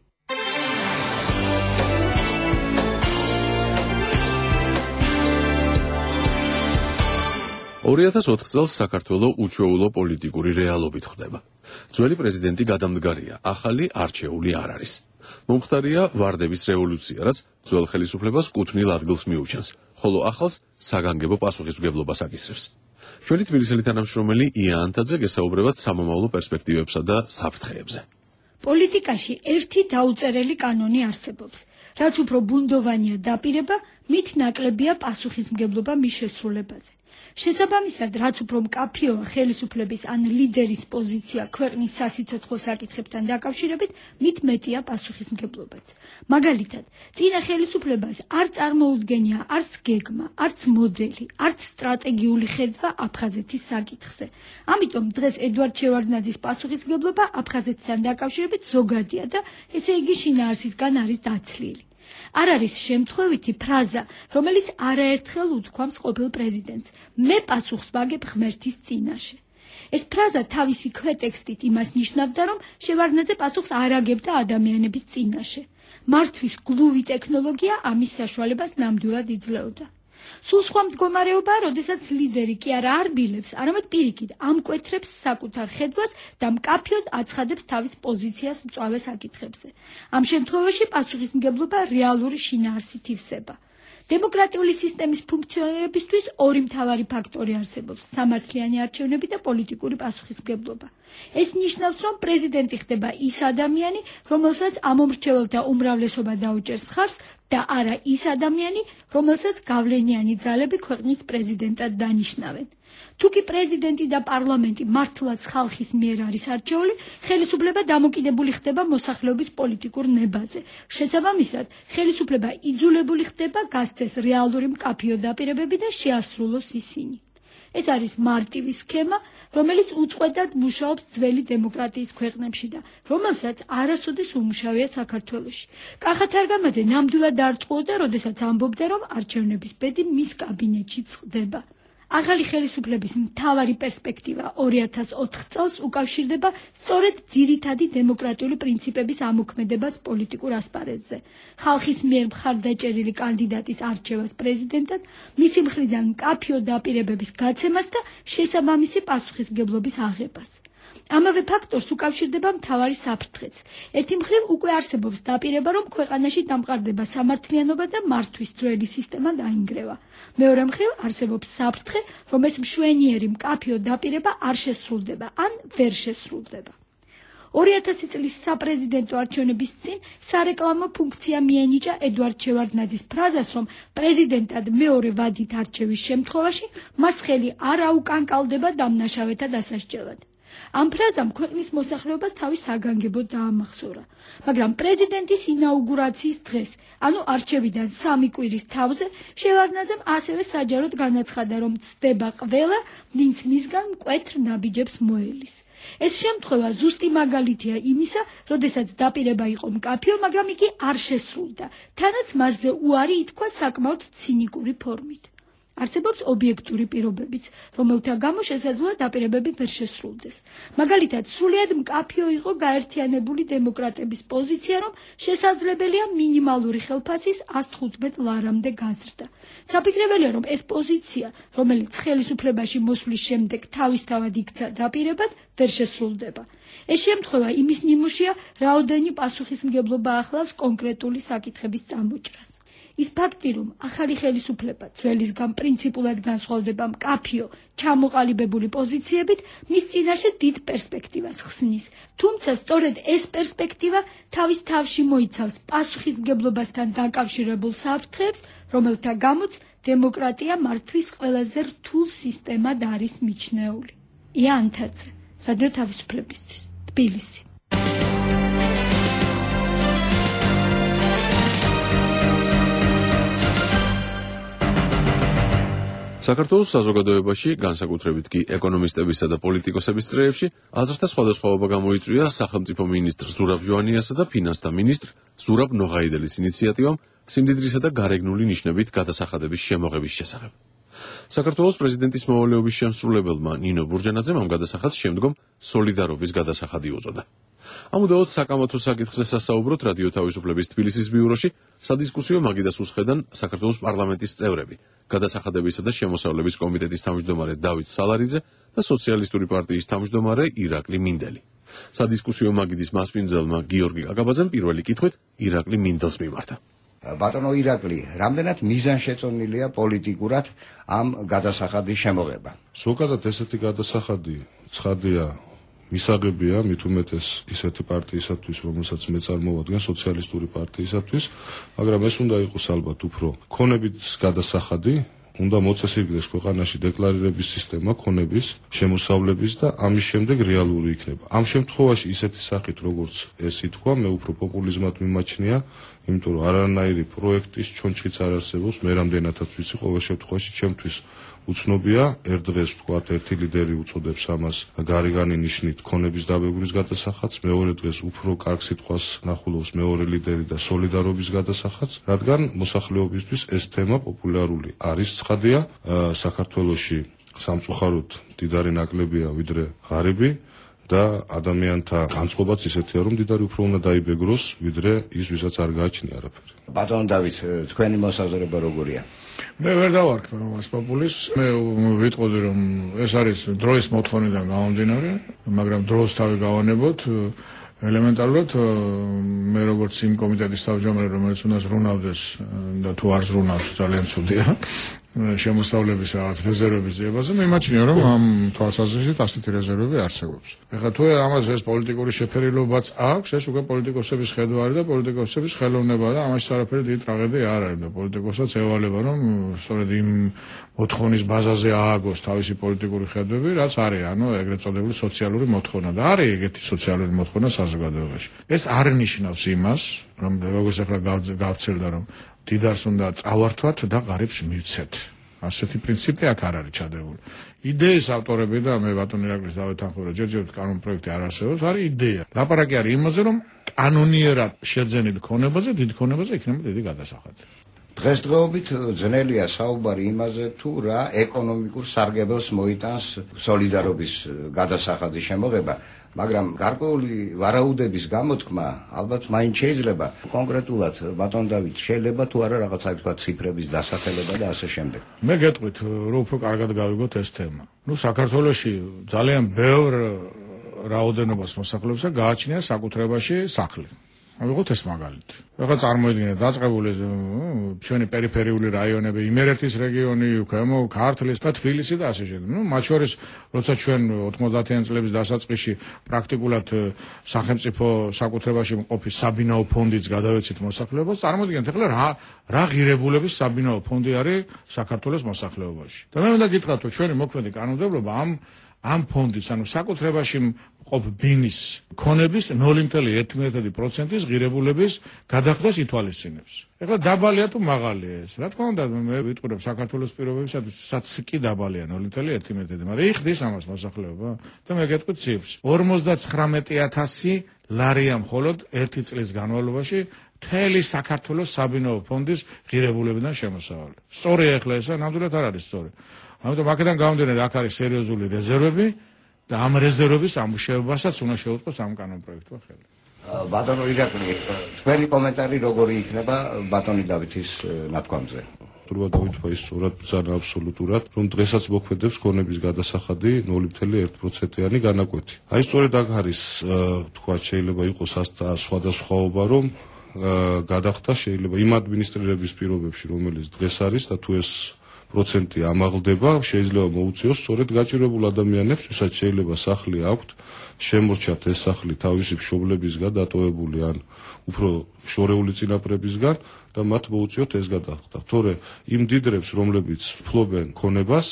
[SPEAKER 3] ორი ათას ოთხ წელს საქართველო უჩვეულო პოლიტიკური რეალობით ხდება. ძველი პრეზიდენტი გადამდგარია, ახალი არჩეული არ არის. მომხდარია ვარდების რევოლუცია, რაც ძველ ხელისუფლებას კუთვნილ ადგილს მიუჩენს, ხოლო ახალს საგანგებო პასუხისმგებლობას აკისრებს. ჩვენი თბილისელი თანამშრომელი ია ანთაძე გესაუბრებათ სამომავლო პერსპექტივებსა და საფრთხეებზე.
[SPEAKER 13] პოლიტიკაში ერთი დაუწერელი კანონი არსებობს. რაც უფრო ბუნდოვანია დაპირება, მით ნაკლებია პასუხისმგებლობა მის შესრულებაზე. შესაბამისად, რაც უფრო მკაფიოა ხელისუფლების ან ლიდერის პოზიცია ქვეყნის სასიცოცხლო საკითხებთან დაკავშირებით, მით მეტია პასუხისმგებლობაც. მაგალითად, წინა ხელისუფლებას არ წარმოუდგენია არც გეგმა, არც მოდელი, არც სტრატეგიული ხედვა აფხაზეთის საკითხზე. ამიტომ დღეს ედუარდ შევარდნაძის პასუხისმგებლობა აფხაზეთთან დაკავშირებით ზოგადია და ესე იგი შინაარსისგან არის დაცლილი. არ არის შემთხვევითი ფრაზა, რომელიც არაერთხელ უთქვამს ყოფილ პრეზიდენტს: მე პასუხს ვაგებ ღმერთის წინაშე. ეს ფრაზა თავისი ქვეტექსტით იმას ნიშნავდა, რომ შევარდნაძე პასუხს არ აგებდა ადამიანების წინაშე. მართვის გლუვი ტექნოლოგია ამის საშუალებას ნამდვილად იძლეოდა. სულ სხვა მდგომარეობაა, როდესაც ლიდერი კი არა არბილებს, არამედ პირიქით ამკვეთრებს საკუთარ ხედვას და მკაფიოდ აცხადებს თავის პოზიციას მწვავე საკითხებზე. ამ შემთხვევაში პასუხისმგებლობა რეალური შინაარსით ივსება. დემოკრატიული სისტემის ფუნქციონირებისთვის ორი მთავარი ფაქტორი არსებობს: სამართლიანი არჩევნები და პოლიტიკური პასუხისმგებლობა. ეს ნიშნავს, რომ პრეზიდენტი ხდება ის ადამიანი, რომელსაც ამომრჩეველთა უმრავლესობა დაუჭერს მხარს და არა ის ადამიანი, რომელსაც გავლენიანი ძალები ქვეყნის პრეზიდენტად დანიშნავენ. თუ კი პრეზიდენტი და პარლამენტი მართლაც ხალხის მიერ არის არჩეული, ხელისუფლება დამოკიდებული ხდება მოსახლეობის პოლიტიკურ ნებაზე. შესაბამისად, ხელისუფლება იძულებული ხდება გასცეს რეალური მკაფიო დაპირებები და შეასრულოს ისინი. ეს არის მარტივი სქემა, რომელიც უწყვეტად მუშაობს ძველი დემოკრატიის ქვეყნებში და რომელსაც არასოდეს უმუშავია საქართველოში. კახა თარგამაძე ნამდვილად არ ტყუოდა, როდესაც ამბობდა, რომ არჩევნების ბედი მის კაბინეტში წყდება. ახალი ხელისუფლების მთავარი პერსპექტივა ორი ათას ოთხ წელს უკავშირდება სწორედ ძირითადი დემოკრატიული პრინციპების ამოქმედებას პოლიტიკურ ასპარეზზე. ხალხის მიერ მხარდაჭერილი კანდიდატის არჩევას პრეზიდენტად, მისი მხრიდან მკაფიო დაპირებების გაცემას და შესაბამისი პასუხისმგებლობის აღებას. ამავე ფაქტორს უკავშირდება მთავარი საფრთხეც. ერთი მხრივ უკვე არსებობს დაპირება, რომ ქვეყანაში დამყარდება სამართლიანობა და მართვის ძველი სისტემა დაინგრევა. მეორე მხრივ არსებობს საფრთხე, რომ ეს მშვენიერი მკაფიო დაპირება არ შესრულდება ან ვერ შესრულდება. ორი ათასი წლის საპრეზიდენტო არჩევნების წინ სარეკლამო ფუნქცია მიენიჭა ედუარდ შევარდნაძის ფრაზას, რომ პრეზიდენტად მეორე ვადით არჩევის შემთხვევაში მას ხელი არ აუკანკალდება დამნაშავეთა დასასჯელად. ამ ფრაზამ ქვეყნის მოსახლეობას თავის საგანგებოდ დაამახსოვრა. მაგრამ პრეზიდენტის ინაუგურაციის დღეს, ანუ არჩევიდან სამი კვირის თავზე, შევარდნაძემ ასევე საჯაროდ განაცხადა, რომ ცდება ყველა, ვინც მისგან მკვეთრ ნაბიჯებს მოელის. ეს შემთხვევა ზუსტი მაგალითია იმისა, როდესაც დაპირება იყო მკაფიო, მაგრამ იგი არ შესრულდა, თანაც მასზე უარი ითქვა საკმაოდ ცინიკური ფორმით. არსებობს ობიექტური პირობებიც, რომელთა გამო შესაძლოა დაპირებები ვერ შესრულდეს. მაგალითად, სრულიად მკაფიო იყო გაერთიანებული დემოკრატების პოზიცია, რომ შესაძლებელია მინიმალური ხელფასის ას თხუთმეტ ლარამდე გაზრდა. საფიქრებელია, რომ ეს პოზიცია, რომელიც ხელისუფლებაში მოსვლის შემდეგ თავისთავად იქცა დაპირებად, ვერ შესრულდება. ეს შემთხვევა იმის ნიმუშია, რაოდენი პასუხისმგებლობა ახლავს კონკრეტული საკითხების წამოჭრას. ის ფაქტი, რომ ახალი ხელისუფლება ძველისგან პრინციპულად განსხვავდება მკაფიო, ჩამოყალიბებული პოზიციებით, მის წინაშე დიდ პერსპექტივას ხსნის. თუმცა სწორედ ეს პერსპექტივა თავის თავში მოიცავს პასუხისმგებლობასთან დაკავშირებულ საფრთხეებს, რომელთა გამოც დემოკრატია მართვის ყველაზე რთულ სისტემად არის მიჩნეული. ია ანთაძე, რადიო თავისუფლებისთვის, თბილისი.
[SPEAKER 3] საქართველოს საზოგადოებაში, განსაკუთრებით კი ეკონომისტებისა და პოლიტიკოსების წრეებში, აზრთა სხვადასხვაობა გამოიწვია სახელმწიფო მინისტრ ზურაბ ჟვანიასა და ფინანსთა მინისტრ ზურაბ ნოღაიდელის ინიციატივამ სიმდიდრისა და გარეგნული ნიშნებით გადასახადების შემოღების შესახებ. საქართველოს პრეზიდენტის მოვალეობის შემსრულებელმა ნინო ბურჯანაძემ ამ გადასახადს შემდგომ სოლიდარობის გადასახადი უწოდა. ამუდაოდ საკამათო საკითხზე სასაუბროთ რადიო თავისუფლების თბილისის ბიუროში სადისკუსიო მაგიდას უსხედან საქართველოს პარლამენტის წევრები, გადასახადებისა და შემოსავლების კომიტეტის თავმჯდომარე დავით სალარიძე და სოციალისტური პარტიის თავმჯდომარე ირაკლი მინდელი. სადისკუსიო მაგიდის მასპინძელმა გიორგი კაკაბაძემ პირველი კითხვით ირაკლი მინდელს მიმართა.
[SPEAKER 14] ბატონო ირაკლი, რამდენად მიზანშეწონილია პოლიტიკურად ამ გადასახადის შემოღება?
[SPEAKER 15] ზოგადად ესეთი გადასახადი ცხადია მისაღებია მით უმეტეს ისეთი პარტიისათვის, რომელსაც მე წარმოვადგენ, სოციალისტური პარტიისათვის, მაგრამ ეს უნდა იყოს ალბათ უფრო ქონებით გადასახადი, უნდა მოწესრიგდეს ქვეყანაში დეკლარირების სისტემა ქონების, შემოსავლების და ამის შემდეგ რეალური იქნება. ამ შემთხვევაში ისეთი სახით, როგორც ეს ითქვა, მე უფრო პოპულიზმად მიმაჩნია, იმიტომ რომ არანაირი პროექტის ჩონჩხიც არ არსებობს, მე რამდენადაც ვიცი, ყოველ შემთხვევაში ჩემთვის უცნობია, ერთ დღეს ვთქვათ, ერთი ლიდერი უწოდებს ამას გარეგანი ნიშნით ქონების დაბეგვრის გადასახადს, მეორე დღეს უფრო კარგ სიტყვას ნახულობს მეორე ლიდერი და სოლიდარობის გადასახადს, რადგან მოსახლეობისთვის ეს თემა პოპულარული არის. ცხადია, საქართველოში სამწუხაროდ მდიდარი ნაკლებია ვიდრე ღარიბი და ადამიანთა განწყობაც ისეთია, რომ მდიდარი უფრო უნდა დაიბეგროს, ვიდრე ის, ვისაც არ გააჩნია არაფერი.
[SPEAKER 14] ბატონ დავით, თქვენი მოსაზრება როგორია?
[SPEAKER 4] მე ვერ დავარქ მას პოპულის. მე ვიტყოდი რომ ეს არის დროის მოთხოვნიდან გამომდინარე, მაგრამ დროს თავი გავანებოთ. ელემენტარულად მე როგორც იმ კომიტეტის თავმჯდომარე, რომელიც უნდა ზრუნავდეს და თუ არ ზრუნავს ძალიან ცუდია შემოსავლების რაღაც რეზერვების ძიებაზე, მე იმაჩნია რომ ამ თვალსაზრისით ასეთი რეზერვები არსებობს. ეხლა თუ ამაზე ეს პოლიტიკური შეფერილობაც აქვს, ეს უკვე პოლიტიკოსების ხედვა არის და პოლიტიკოსების ხელოვნება და ამაში არაფერი დიდი ტრაგედია არ არის და პოლიტიკოსაც ევალება რომ სწორედ იმ მოთხოვნის ბაზაზე ააგოს თავისი პოლიტიკური ხედვები, რაც არის, ანუ ეგრეთ წოდებული სოციალური მოთხოვნა და არის ეგეთი სოციალური მოთხოვნა საზოგადოებაში. ეს არ ნიშნავს იმას, რომ როგორც ახლა გავცელდა რომ დიდარს უნდა წავართვათ და ღარიბს მივცეთ. ასეთი პრინციპი აქ არ არის ჩადებული. იდეის ავტორები და მე ბატონ ირაკლის დავეთანხმებო, ჯერჯერობით კანონ პროექტი არ არსებობს, არის იდეა. ლაპარაკი არის იმაზე, რომ კანონიერად შეძენილ ქონებაზე, დიდ ქონებაზე იქნება დიდი გადასახადი.
[SPEAKER 14] დღესდღეობით ძნელია საუბარი იმაზე, თუ რა ეკონომიკურ სარგებელს მოიტანს სოლიდარობის გადასახადის შემოღება, მაგრამ გარკვეული ვარაუდების გამოთქმა ალბათ მაინც შეიძლება კონკრეტულად ბატონ დავით შეიძლება თუ არა რაღაცა თქვა ციფრების დასახელება და ასე შემდეგ.
[SPEAKER 4] მე გეტყვით რომ უფრო კარგად გავიგოთ ეს თემა. ნუ საქართველოში ძალიან ბევრ რაოდენობას მოსახლეობისა გააჩნია საკუთრებაში სახლი. ავიღოთ ეს მაგალითი. ეხლა წარმოიდგინეთ დაწყებული ჩვენი პერიფერიული რაიონები, იმერეთის რეგიონი, ქვემო ქართლის და თბილისი და ასე შემდეგ. ნუ მათ შორის როცა ჩვენ ოთხმოცდაათიან წლების დასაწყისში პრაქტიკულად სახელმწიფო საკუთრებაში მყოფი საბინაო ფონდიც გადავეცით მოსახლეობას, წარმოიდგინეთ ეხლა რა რა ღირებულების საბინაო ფონდი არის საქართველოს მოსახლეობაში. და მე უნდა გითხრათ, რომ ჩვენი მოქმედი კანონმდებლობა ამ ამ ფონდის, ანუ საკუთრებაში ყოფ ბინის ქონების ნული კoma ერთი პროცენტის ღირებულების გადახდას ითვალისწინებს. ეხლა დაბალია თუ მაღალია ეს? რა თქმა უნდა, მე ვიტყურებ საქართველოს პირობებისათვის, სადაც კი დაბალია ნული კoma ერთი, მაგრამ იხდის ამას მოსახლეობა და მე გეტყვით ციფრს. ორმოცდაცხრამეტი ათასი ლარია მხოლოდ ერთი წლის განმავლობაში მთელი საქართველოს საბინაო ფონდის ღირებულებიდან შემოსავალი. სწორია ეხლა ესა, ნამდვილად არ არის სწორი. ამიტომ აქედან გამომდინარე, აქ არის სერიოზული რეზერვები და ამ რეზერვების ამუშავებასაც უნდა შეუწყოს ამ კანონპროექტმა ხელი.
[SPEAKER 14] ბატონო ირაკლი, თქვენი კომენტარი როგორი იქნება ბატონი დავითის ნათქვამზე?
[SPEAKER 15] თურმე დავითმა ის სწორად ბრძანა აბსოლუტურად, რომ დღესაც მოქმედებს ქონების გადასახადი ნული კoma ერთი პროცენტიანი განაკვეთი. აი სწორედ აქ არის თქვა შეიძლება იყოს სხვადასხვაობა, რომ გადახდა შეიძლება იმ ადმინისტრირების პირობებში, რომელიც დღეს არის და თუ ეს პროცენტი ამაღლდება, შეიძლება მოუწიოს სწორედ გაჭირებულ ადამიანებს, ვისაც შეიძლება სახლი აქვთ, შემორჩათ ეს სახლი თავისი მშობლებისგან დატოვებული ან უფრო შორეული წინაპრებისგან და მათ მოუწიოთ ეს გადახდა. თორე იმ დიდრებს, რომლებიც ფლობენ ქონებას,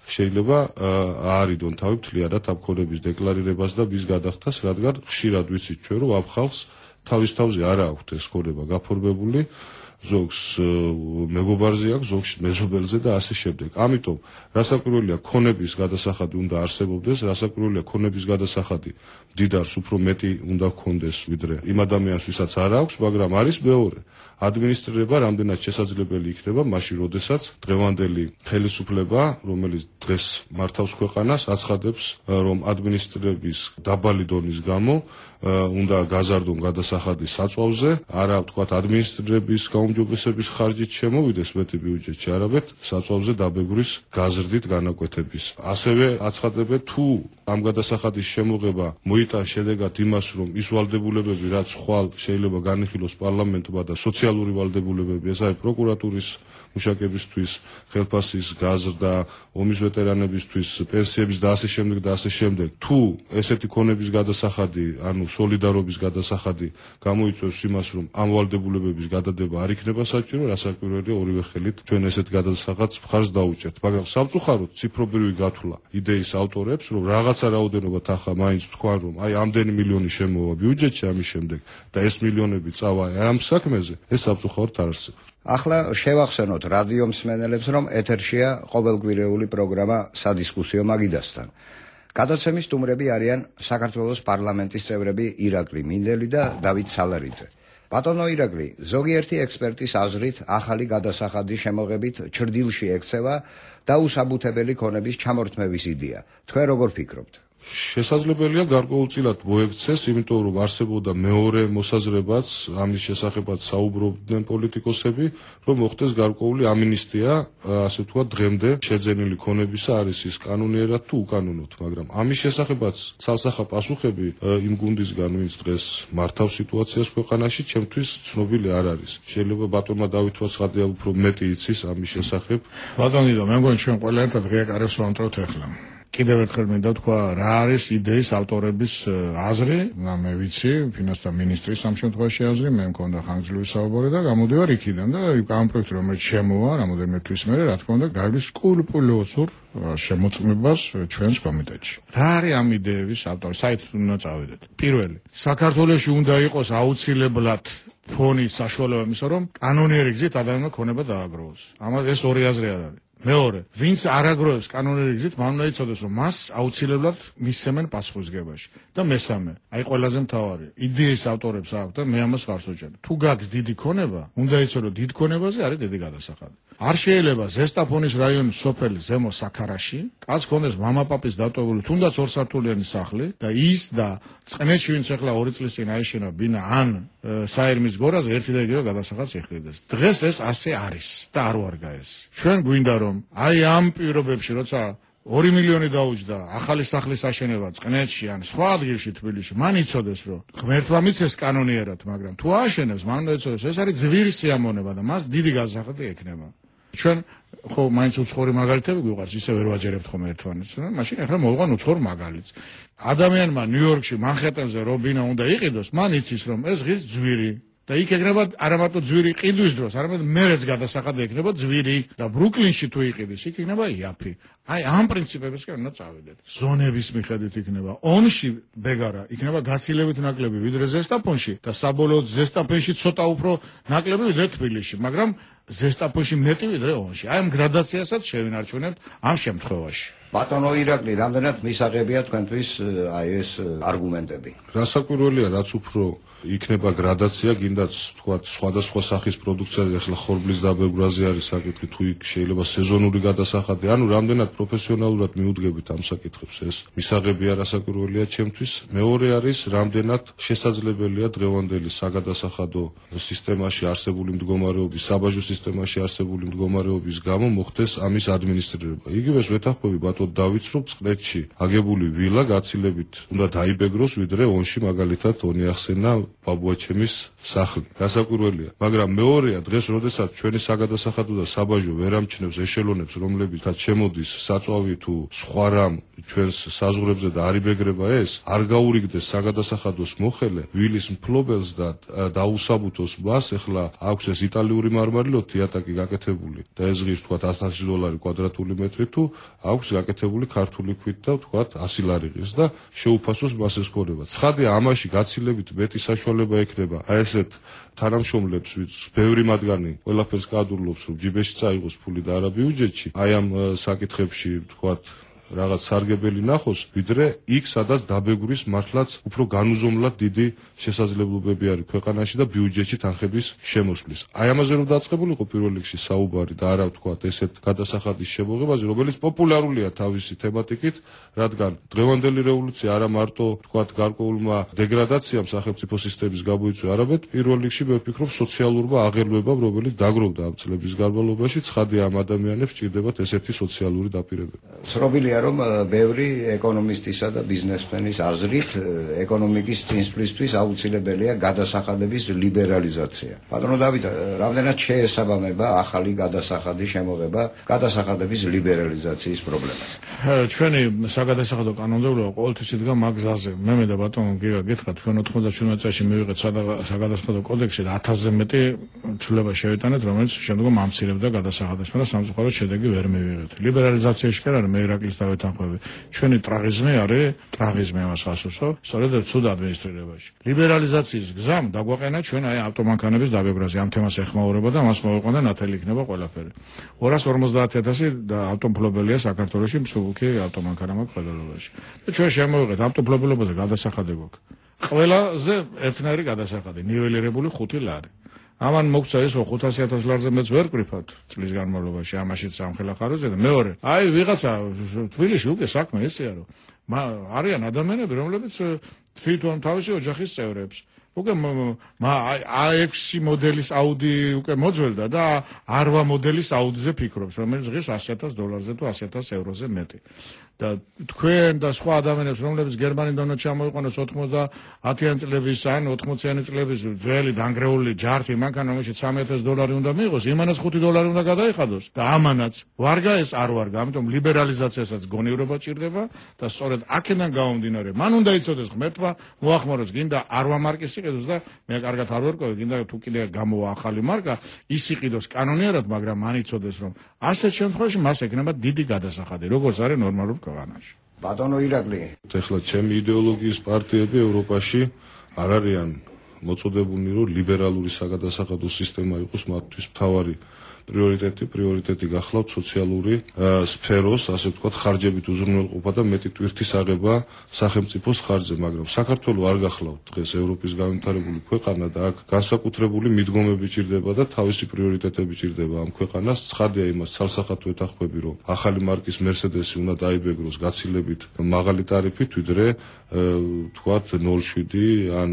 [SPEAKER 15] შეიძლება აარიდონ თავი მთლიანად ამ ქონების დეკლარირებას და მის გადახდას, რადგან ხშირად ვიცით ჩვენ, რომ ამ ხალხს თავის თავზე არ აქვთ ეს ქონება გაფორმებული, ზოგს მეგობარზე აქვს, ზოგს მეზობელზე და ასე შემდეგ. ამიტომ რასაკვირველია ქონების გადასახადი უნდა არსებობდეს, რასაკვირველია ქონების გადასახადი მდიდარს უფრო მეტი უნდა ჰქონდეს ვიდრე იმ ადამიანს, ვისაც არ აქვს, მაგრამ არის მეორე. ადმინისტრირება რამდენად შესაძლებელი იქნება მაშინ, როდესაც დღევანდელი ხელისუფლება, რომელიც დღეს მართავს ქვეყანას, აცხადებს, რომ ადმინისტრირების დაბალი დონის გამო უნდა გაზარდონ გადასახადის საწვავზე, არა ვთქვათ ადმინისტრირების გაუმჯობესების ხარჯით შემოვიდეს მეტი ბიუჯეტში, არამედ საწვავზე დაბეგვრის გაზრდით განაკვეთების. ასევე აცხადებენ, თუ ამ გადასახადის შემოღება მოიტანს შედეგად იმას, რომ ის ვალდებულებები, რაც ხვალ შეიძლება განიხილოს პარლამენტმა და სოციალური ვალდებულებები, ეს არის პროკურატურის მუშაკებისთვის, ხელფასის გაზრდა, ომის ვეტერანებისთვის, პენსიების და ასე შემდეგ და ასე შემდეგ. თუ ესეთი ქონების გადასახადი, ანუ სოლიდარობის გადასახადი გამოიწვევს იმას, რომ ამ ვალდებულებების გადადება არ იქნება საჭირო, რასაკვირველია ორივე ხელით ჩვენ ესეთ გადასახადს მხარს დაუჭერთ. მაგრამ სამწუხაროდ ციფრობრივი გათვლა იდეის ავტორებს, რომ რაღაცა რაოდენობა თანხა მაინც თქვან, რომ აი ამდენი მილიონი შემოვა ბიუჯეტში ამის შემდეგ და ეს მილიონები წავა ამ საქმეზე, ეს სამწუხაროდ არ არსებობს.
[SPEAKER 14] ახლა შევახსენოთ რადიო მსმენელებს, რომ ეთერშია ყოველკვირეული პროგრამა სადისკუსიო მაგიდასთან. გადაცემის სტუმრები არიან საქართველოს პარლამენტის წევრები ირაკლი მინდელი და დავით სალარიძე. ბატონო ირაკლი, ზოგიერთი ექსპერტის აზრით, ახალი გადასახადის შემოღებით ჩრდილში ექცევა დაუსაბუთებელი ქონების ჩამორთმევის იდეა. თქვენ როგორ ფიქრობთ?
[SPEAKER 15] შესაძლებელია გარკვეულწილად მოექცეს, იმიტომ რომ არსებობდა მეორე მოსაზრებაც ამის შესახებაც საუბრობდნენ პოლიტიკოსები, რომ მოხდეს გარკვეული ამინისტია, ასე ვთქვათ, დღემდე შეძენილი ქონებისა არის ის კანონიერად თუ უკანონოდ, მაგრამ ამის შესახებაც ცალსახა პასუხები იმ გუნდისგან, ვინც დღეს მართავს სიტუაციას ქვეყანაში, ჩემთვის ცნობილი არ არის. შეიძლება ბატონმა დავით ვაცხადია უფრო მეტი იცის ამის შესახებ.
[SPEAKER 4] ბატონი და მე მგონი ჩვენ ყველა ერთად ღიაკარებს ვამტვრევთ ახლა. კიდევ ერთხელ მინდა თქვა, რა არის იდეის ავტორების აზრი, მე ვიცი, ფინანსთა მინისტრის ამ შემთხვევაში აზრი, მე მქონდა ხანგრძლივი საუბარი და გამოდივარ იქიდან და ამ პროექტი რომელიც შემოვა, რამოდენიმე თვის მერე, რა თქმა უნდა, გაგვლის სკრუპულოზურ შემოწმებას ჩვენს კომიტეტში. რა არის ამ იდეების ავტორი? საერთოდ უნდა წავიდეთ. პირველი, საქართველოში უნდა იყოს აუცილებლად ფონი საშუალება იმისა, რომ კანონიერი გზით ადამიანმა ქონება დააგროვოს. ამას ეს ორი აზრი არ არის. მეორე, ვინც არ აგროვებს კანონიერი გზით, მან უნდა იცოდეს, რომ მას აუცილებლად მისცემენ პასუხისგებაში. და მესამე, აი ყველაზე მთავარი, იდეის ავტორებს აქვს და მე ამას ხარს ვუჭერ. თუ გაქვს დიდი ქონება, უნდა იცო, რომ დიდ ქონებაზე არის დიდი გადასახადი. არ შეიძლება ზესტაფონის რაიონის სოფელი ზემო საქარაში, კაც ქონდეს მამაპაპის დატოვებული, თუნდაც ორსართულიანი სახლი და ის და წყნეთში ვინც ახლა ორი წლის წინ აიშენა ბინა ან საერმის გორაზე ერთი და იგივე გადასახადს იხდიდეს. დღეს ეს ასე არის და არ ვარგა ეს. ჩვენ გვინდა რომ აი ამ პირობებში როცა ორი მილიონი დაუჯდა ახალი სახლის აშენება წყნეთში ან სხვა ადგილში თბილისში, მან იცოდეს რომ ღმერთმა მიცეს კანონიერად, მაგრამ თუ ააშენებს, მან უნდა იცოდეს ეს არის ძვირი სიამონება და მას დიდი გადასახადი ექნება. ჩვენ ხო მაინც უცხოური მაგალითები გვიყვარს, ისე ვერ ვაჯერებთ ხომ ერთმანეთს, მაშინ ახლა მოვყვან უცხოურ მაგალითს. ადამიანმა ნიუ-იორკში, მანჰეტენზე რობინა უნდა იყიდოს, მან იცის რომ ეს ღირს ძვირი და იქ ეგრება არა მარტო ძვირი ყიდვის დროს, არამედ მერეც გადასახადი ექნება ძვირი და ბრუკლინში თუ იყიდეს, იქ იქნება იაფი. აი ამ პრინციპებისკენ უნდა წავიდეთ. ზონების მიხედვით იქნება ონში ბეგარა, იქნება გაცილებით ნაკლები ვიდრე ზესტაფონში და საბოლოოდ ზესტაფონში ცოტა უფრო ნაკლები ვიდრე თბილისში, მაგრამ ზესტაფონში მეტი ვიდრე ონში. აი ამ გრადაციასაც შევინარჩუნებთ ამ შემთხვევაში.
[SPEAKER 14] ბატონო ირაკლი, რამდენად მისაღებია თქვენთვის აი ეს არგუმენტები?
[SPEAKER 15] რასაკვირველია, რაც უფრო იქნება გრადაცია, გინდაც თქვათ სხვადასხვა სახის პროდუქციაზე, ახლა ხორბლის დაბეგვრაზე არის საკითხი, თუ იქ შეიძლება სეზონური გადასახადი, ანუ რამდენად პროფესიონალურად მიუდგებით ამ საკითხებს, ეს მისაღებია რასაკვირველია ჩემთვის. მეორე არის, რამდენად შესაძლებელია დღევანდელი საგადასახადო სისტემაში არსებული მდგომარეობის, საბაჟო სისტემაში არსებული მდგომარეობის გამო მოხდეს ამის ადმინისტრირება. იგივეს ვეთანხმები ბატონ დავითს, რომ წყნეთში აგებული ვილა გაცილებით უნდა დაიბეგროს, ვიდრე ონში მაგალითად ონი ახსენა ბაბუაჩემის სახლი. გასაკვირველია, მაგრამ მეორეა დღეს, როდესაც ჩვენი საგადასახადო და საბაჟო ვერ ამჩნევს ეშელონებს, რომლებითაც შემოდის საწვავი თუ სხვა რამ ჩვენს საზღვრებზე და არ იბეგრება ეს, არ გაურიგდეს საგადასახადოს მოხელე, ვილის მფლობელს და დაუსაბუთოს მას, ახლა აქვს ეს იტალიური მარმარილო თიატაკი გაკეთებული და ეს ღირს თქვათ ათასი დოლარი კვადრატული მეტრი თუ აქვს გაკეთებული ქართული ქვით და თქვათ ასი ლარი ღირს და შეუფასოს მას ეს ქონება. ცხადია, ამაში გაცილებით მეტი საშუალება ექნება აი ესეთ თანამშრომლებს, ვინც ბევრი მათგანი ყველაფერს გაადურლობს, რომ ჯიბეში წაიღოს ფული და არა ბიუჯეტში, აი ამ საკითხებში თქვათ რაღაც სარგებელი ნახოს, ვიდრე იქ სადაც დაბეგვრის მართლაც უფრო განუზომლად დიდი შესაძლებლობები არის ქვეყანაში და ბიუჯეტში თანხების შემოსვლის. აი ამაზე რომ დაწყებულიყო პირველ რიგში საუბარი და არა ვთქვათ ესეთ გადასახადის შემოღებაზე, რომელიც პოპულარულია თავისი თემატიკით, რადგან დღევანდელი რევოლუცია არა მარტო ვთქვათ გარკვეულმა დეგრადაციამ სახელმწიფო სისტემის გამოიწვია, არამედ პირველ რიგში მე ვფიქრობ სოციალურმა აღერვებამ, რომელიც დაგროვდა ამ წლების განმავლობაში, ცხადია ამ ადამიანებს ჭირდებათ ესეთი სოციალური დაპირებები.
[SPEAKER 14] ცნობილია რომ ბევრი ეკონომისტისა და ბიზნესმენის აზრით ეკონომიკის წინსვლისთვის აუცილებელია გადასახადების ლიბერალიზაცია. ბატონო დავით, რამდენად შეესაბამება ახალი გადასახადის შემოღება გადასახადების ლიბერალიზაციის პრობლემას?
[SPEAKER 4] ჩვენი საგადასახადო კანონმდებლობა ყოველთვის იდგა მაგ გზაზე. მე მე და ბატონო გიგა გითხრათ, ჩვენ ოთხმოცდაშვიდმეტ წელს მივიღეთ საგადასახადო კოდექსი და ათასზე მეტი ცვლილება შევიტანეთ, რომელიც შემდგომ ამცირებდა გადასახადებს, მაგრამ სამწუხაროდ შედეგი ვერ მივიღეთ. ლიბერალიზაციაში კი არა, მე ირაკლის დავეთანხმები. ჩვენი ტრაღიზმი არის ტრაღიზმი ამას ასუსო, სწორედ ცუდ ადმინისტრირებაში. ლიბერალიზაციის გზამ დაგვაყენა ჩვენ აი ავტომანქანების დაბებრაზე, ამ თემას ეხმაურება და მას მოვიყვანა და ნათელი იქნება ყველაფერი. ორას ორმოცდაათი ათასი და ავტომფლობელია საქართველოში, მსუბუქი ავტომანქანა მაქვს ფედერალობაში. და ჩვენ შემოვიღეთ ავტომფლობელობაზე გადასახადი გვაქვს. ყველაზე ერთნაირი გადასახადი, ნიველირებული ხუთი ლარი. ამან მოგცა ეს ხუთასი ათასი ლარზე მეც ვერ ყრიფავთ წლის განმავლობაში, ამაშიც სამხელა ხაროზე და მეორე, აი ვიღაცა თბილისში უკვე საქმე ესეა რომ არიან ადამიანები, რომლებიც თვითონ თავისი ოჯახის წევრებს უკვე A6 მოდელის აუდი უკვე მოძველდა და A8 მოდელის აუდიზე ფიქრობს, რომელიც ღირს ასი ათას დოლარზე თუ ასი ათას ევროზე მეტი. და თქვენ და სხვა ადამიანებს, რომლებიც გერმანიდან ჩამოიყვანოს ოცდაათიანი წლების ან ოცდაათიანი წლების ძველი დანგრეული ჯართი, მანქანა, რომელშიც სამი ათასი დოლარი უნდა მიიღოს, იმანაც ხუთი დოლარი უნდა გადაიხადოს და ამანაც ვარგა ეს არ ვარგა, ამიტომ ლიბერალიზაციასაც გონივრობა ჭირდება და სწორედ აქედან გამომდინარე, მან უნდა იცოდეს ღმერთმა მოახმაროს, გინდა არვა მარკის იყიდოს და მე კარგად არ ვერკვევი, გინდა თუ კიდე გამოვა ახალი მარკა, ის იყიდოს კანონიერად, მაგრამ მან იცოდეს, რომ ასეთ შემთხვევაში მას ექნება დიდი გადასახადი, როგორც არის ნორმალურ ქვეყანაში.
[SPEAKER 14] ბატონო ირაკლი,
[SPEAKER 15] ეხლა ჩემი იდეოლოგიის პარტიები ევროპაში არ არიან მოწოდებულნი, რომ ლიბერალური საგადასახადო სისტემა იყოს მათთვის მთავარი პრიორიტეტი, პრიორიტეტი გახლავთ სოციალური სფეროს, ასე ვთქვათ, ხარჯებით უზრუნველყოფა და მეტი ტვირთის აღება სახელმწიფოს ხარჯზე, მაგრამ საქართველო არ გახლავთ დღეს ევროპის განვითარებული ქვეყანა და აქ განსაკუთრებული მიდგომები ჭირდება და თავისი პრიორიტეტები ჭირდება ამ ქვეყანას. ცხადია იმას ცალსახად ვეთანხმები, რომ ახალი მარკის მერსედესი უნდა დაიბეგროს გაცილებით მაღალი ტარიფით, ვიდრე ვთქვათ ნოლ შვიდი ან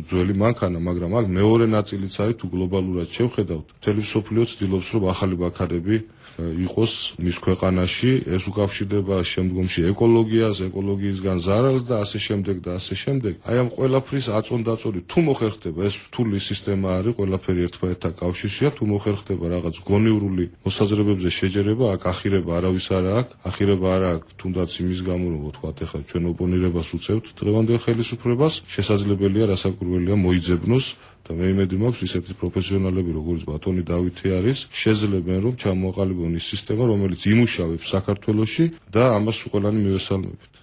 [SPEAKER 15] ძველი მანქანა, მაგრამ აქ მეორე ნაწილიც არის, თუ გლობალურად შევხედავთ, მთელი მსოფლიო ცდილობს, რომ ახალი ბაქარები იყოს მის ქვეყანაში, ეს უკავშირდება შემდგომში ეკოლოგიას, ეკოლოგიისგან ზარალს და ასე შემდეგ და ასე შემდეგ. აი ამ ყველაფრის აწონდაწონი თუ მოხერხდება, ეს რთული სისტემა არის, ყველაფერი ერთმანეთთან კავშირშია, თუ მოხერხდება რაღაც გონივრული მოსაზრებებზე შეჯერება, აქ ახირება არავის არ აქვს, ახირება არ აქვს თუნდაც იმის გამო, რომ ვთქვათ, ეხლა ჩვენ ოპონირებას უწევთ დღევანდელ ხელისუფლებას, შესაძლებელია რასაკვირველია მოიძებნოს და მე იმედი მაქვს ისეთი პროფესიონალები როგორც ბატონი დავითი არის შეძლებენ რომ ჩამოაყალიბონ ის სისტემა რომელიც იმუშავებს საქართველოში და ამას ყველანი მივესალმებით.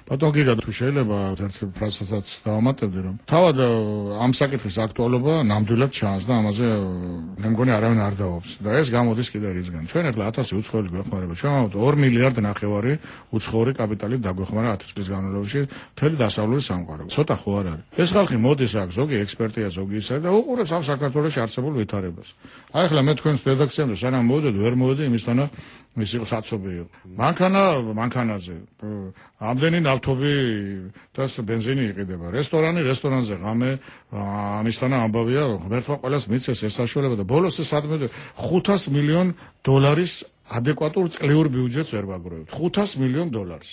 [SPEAKER 4] ბატონ გიგა თუ შეიძლება ერთ ფრაზასაც დავამატებდი რომ თავად ამ საკითხის აქტუალობა ნამდვილად ჩანს და ამაზე მე მგონი არავინ არ დაობს და ეს გამოდის კიდე რისგან. ჩვენ ახლა ათასი უცხოელი გვეხმარება, ჩვენ ვამბობთ ორი მილიარდი ნახევარი უცხოური კაპიტალით დაგვეხმარა ათი წლის განმავლობაში მთელი დასავლური სამყარო. ცოტა ხო არ არის. ეს ხალხი მოდის აქ, ზოგი ექსპერტია, ზოგი ისა და უყურებს ამ საქართველოში არსებულ ვითარებას. აი ახლა მე თქვენს რედაქციამდე სანამ მოვიდოდი, ვერ მოვიდი იმისთანა ის იყო საცობი იყო. მანქანა, მანქანაზე. ამდენი ნავთობი და ბენზინი იყიდება. რესტორანი, რესტორანზე ღამე, ამისთანა ამბავია, ღმერთმა ყველას მიცეს ეს საშუალება და ბოლოს ეს ადმე ხუთას მილიონ დოლარის ადეკვატურ წლიურ ბიუჯეტს ვერ ვაგროვებთ. ხუთას მილიონ დოლარს.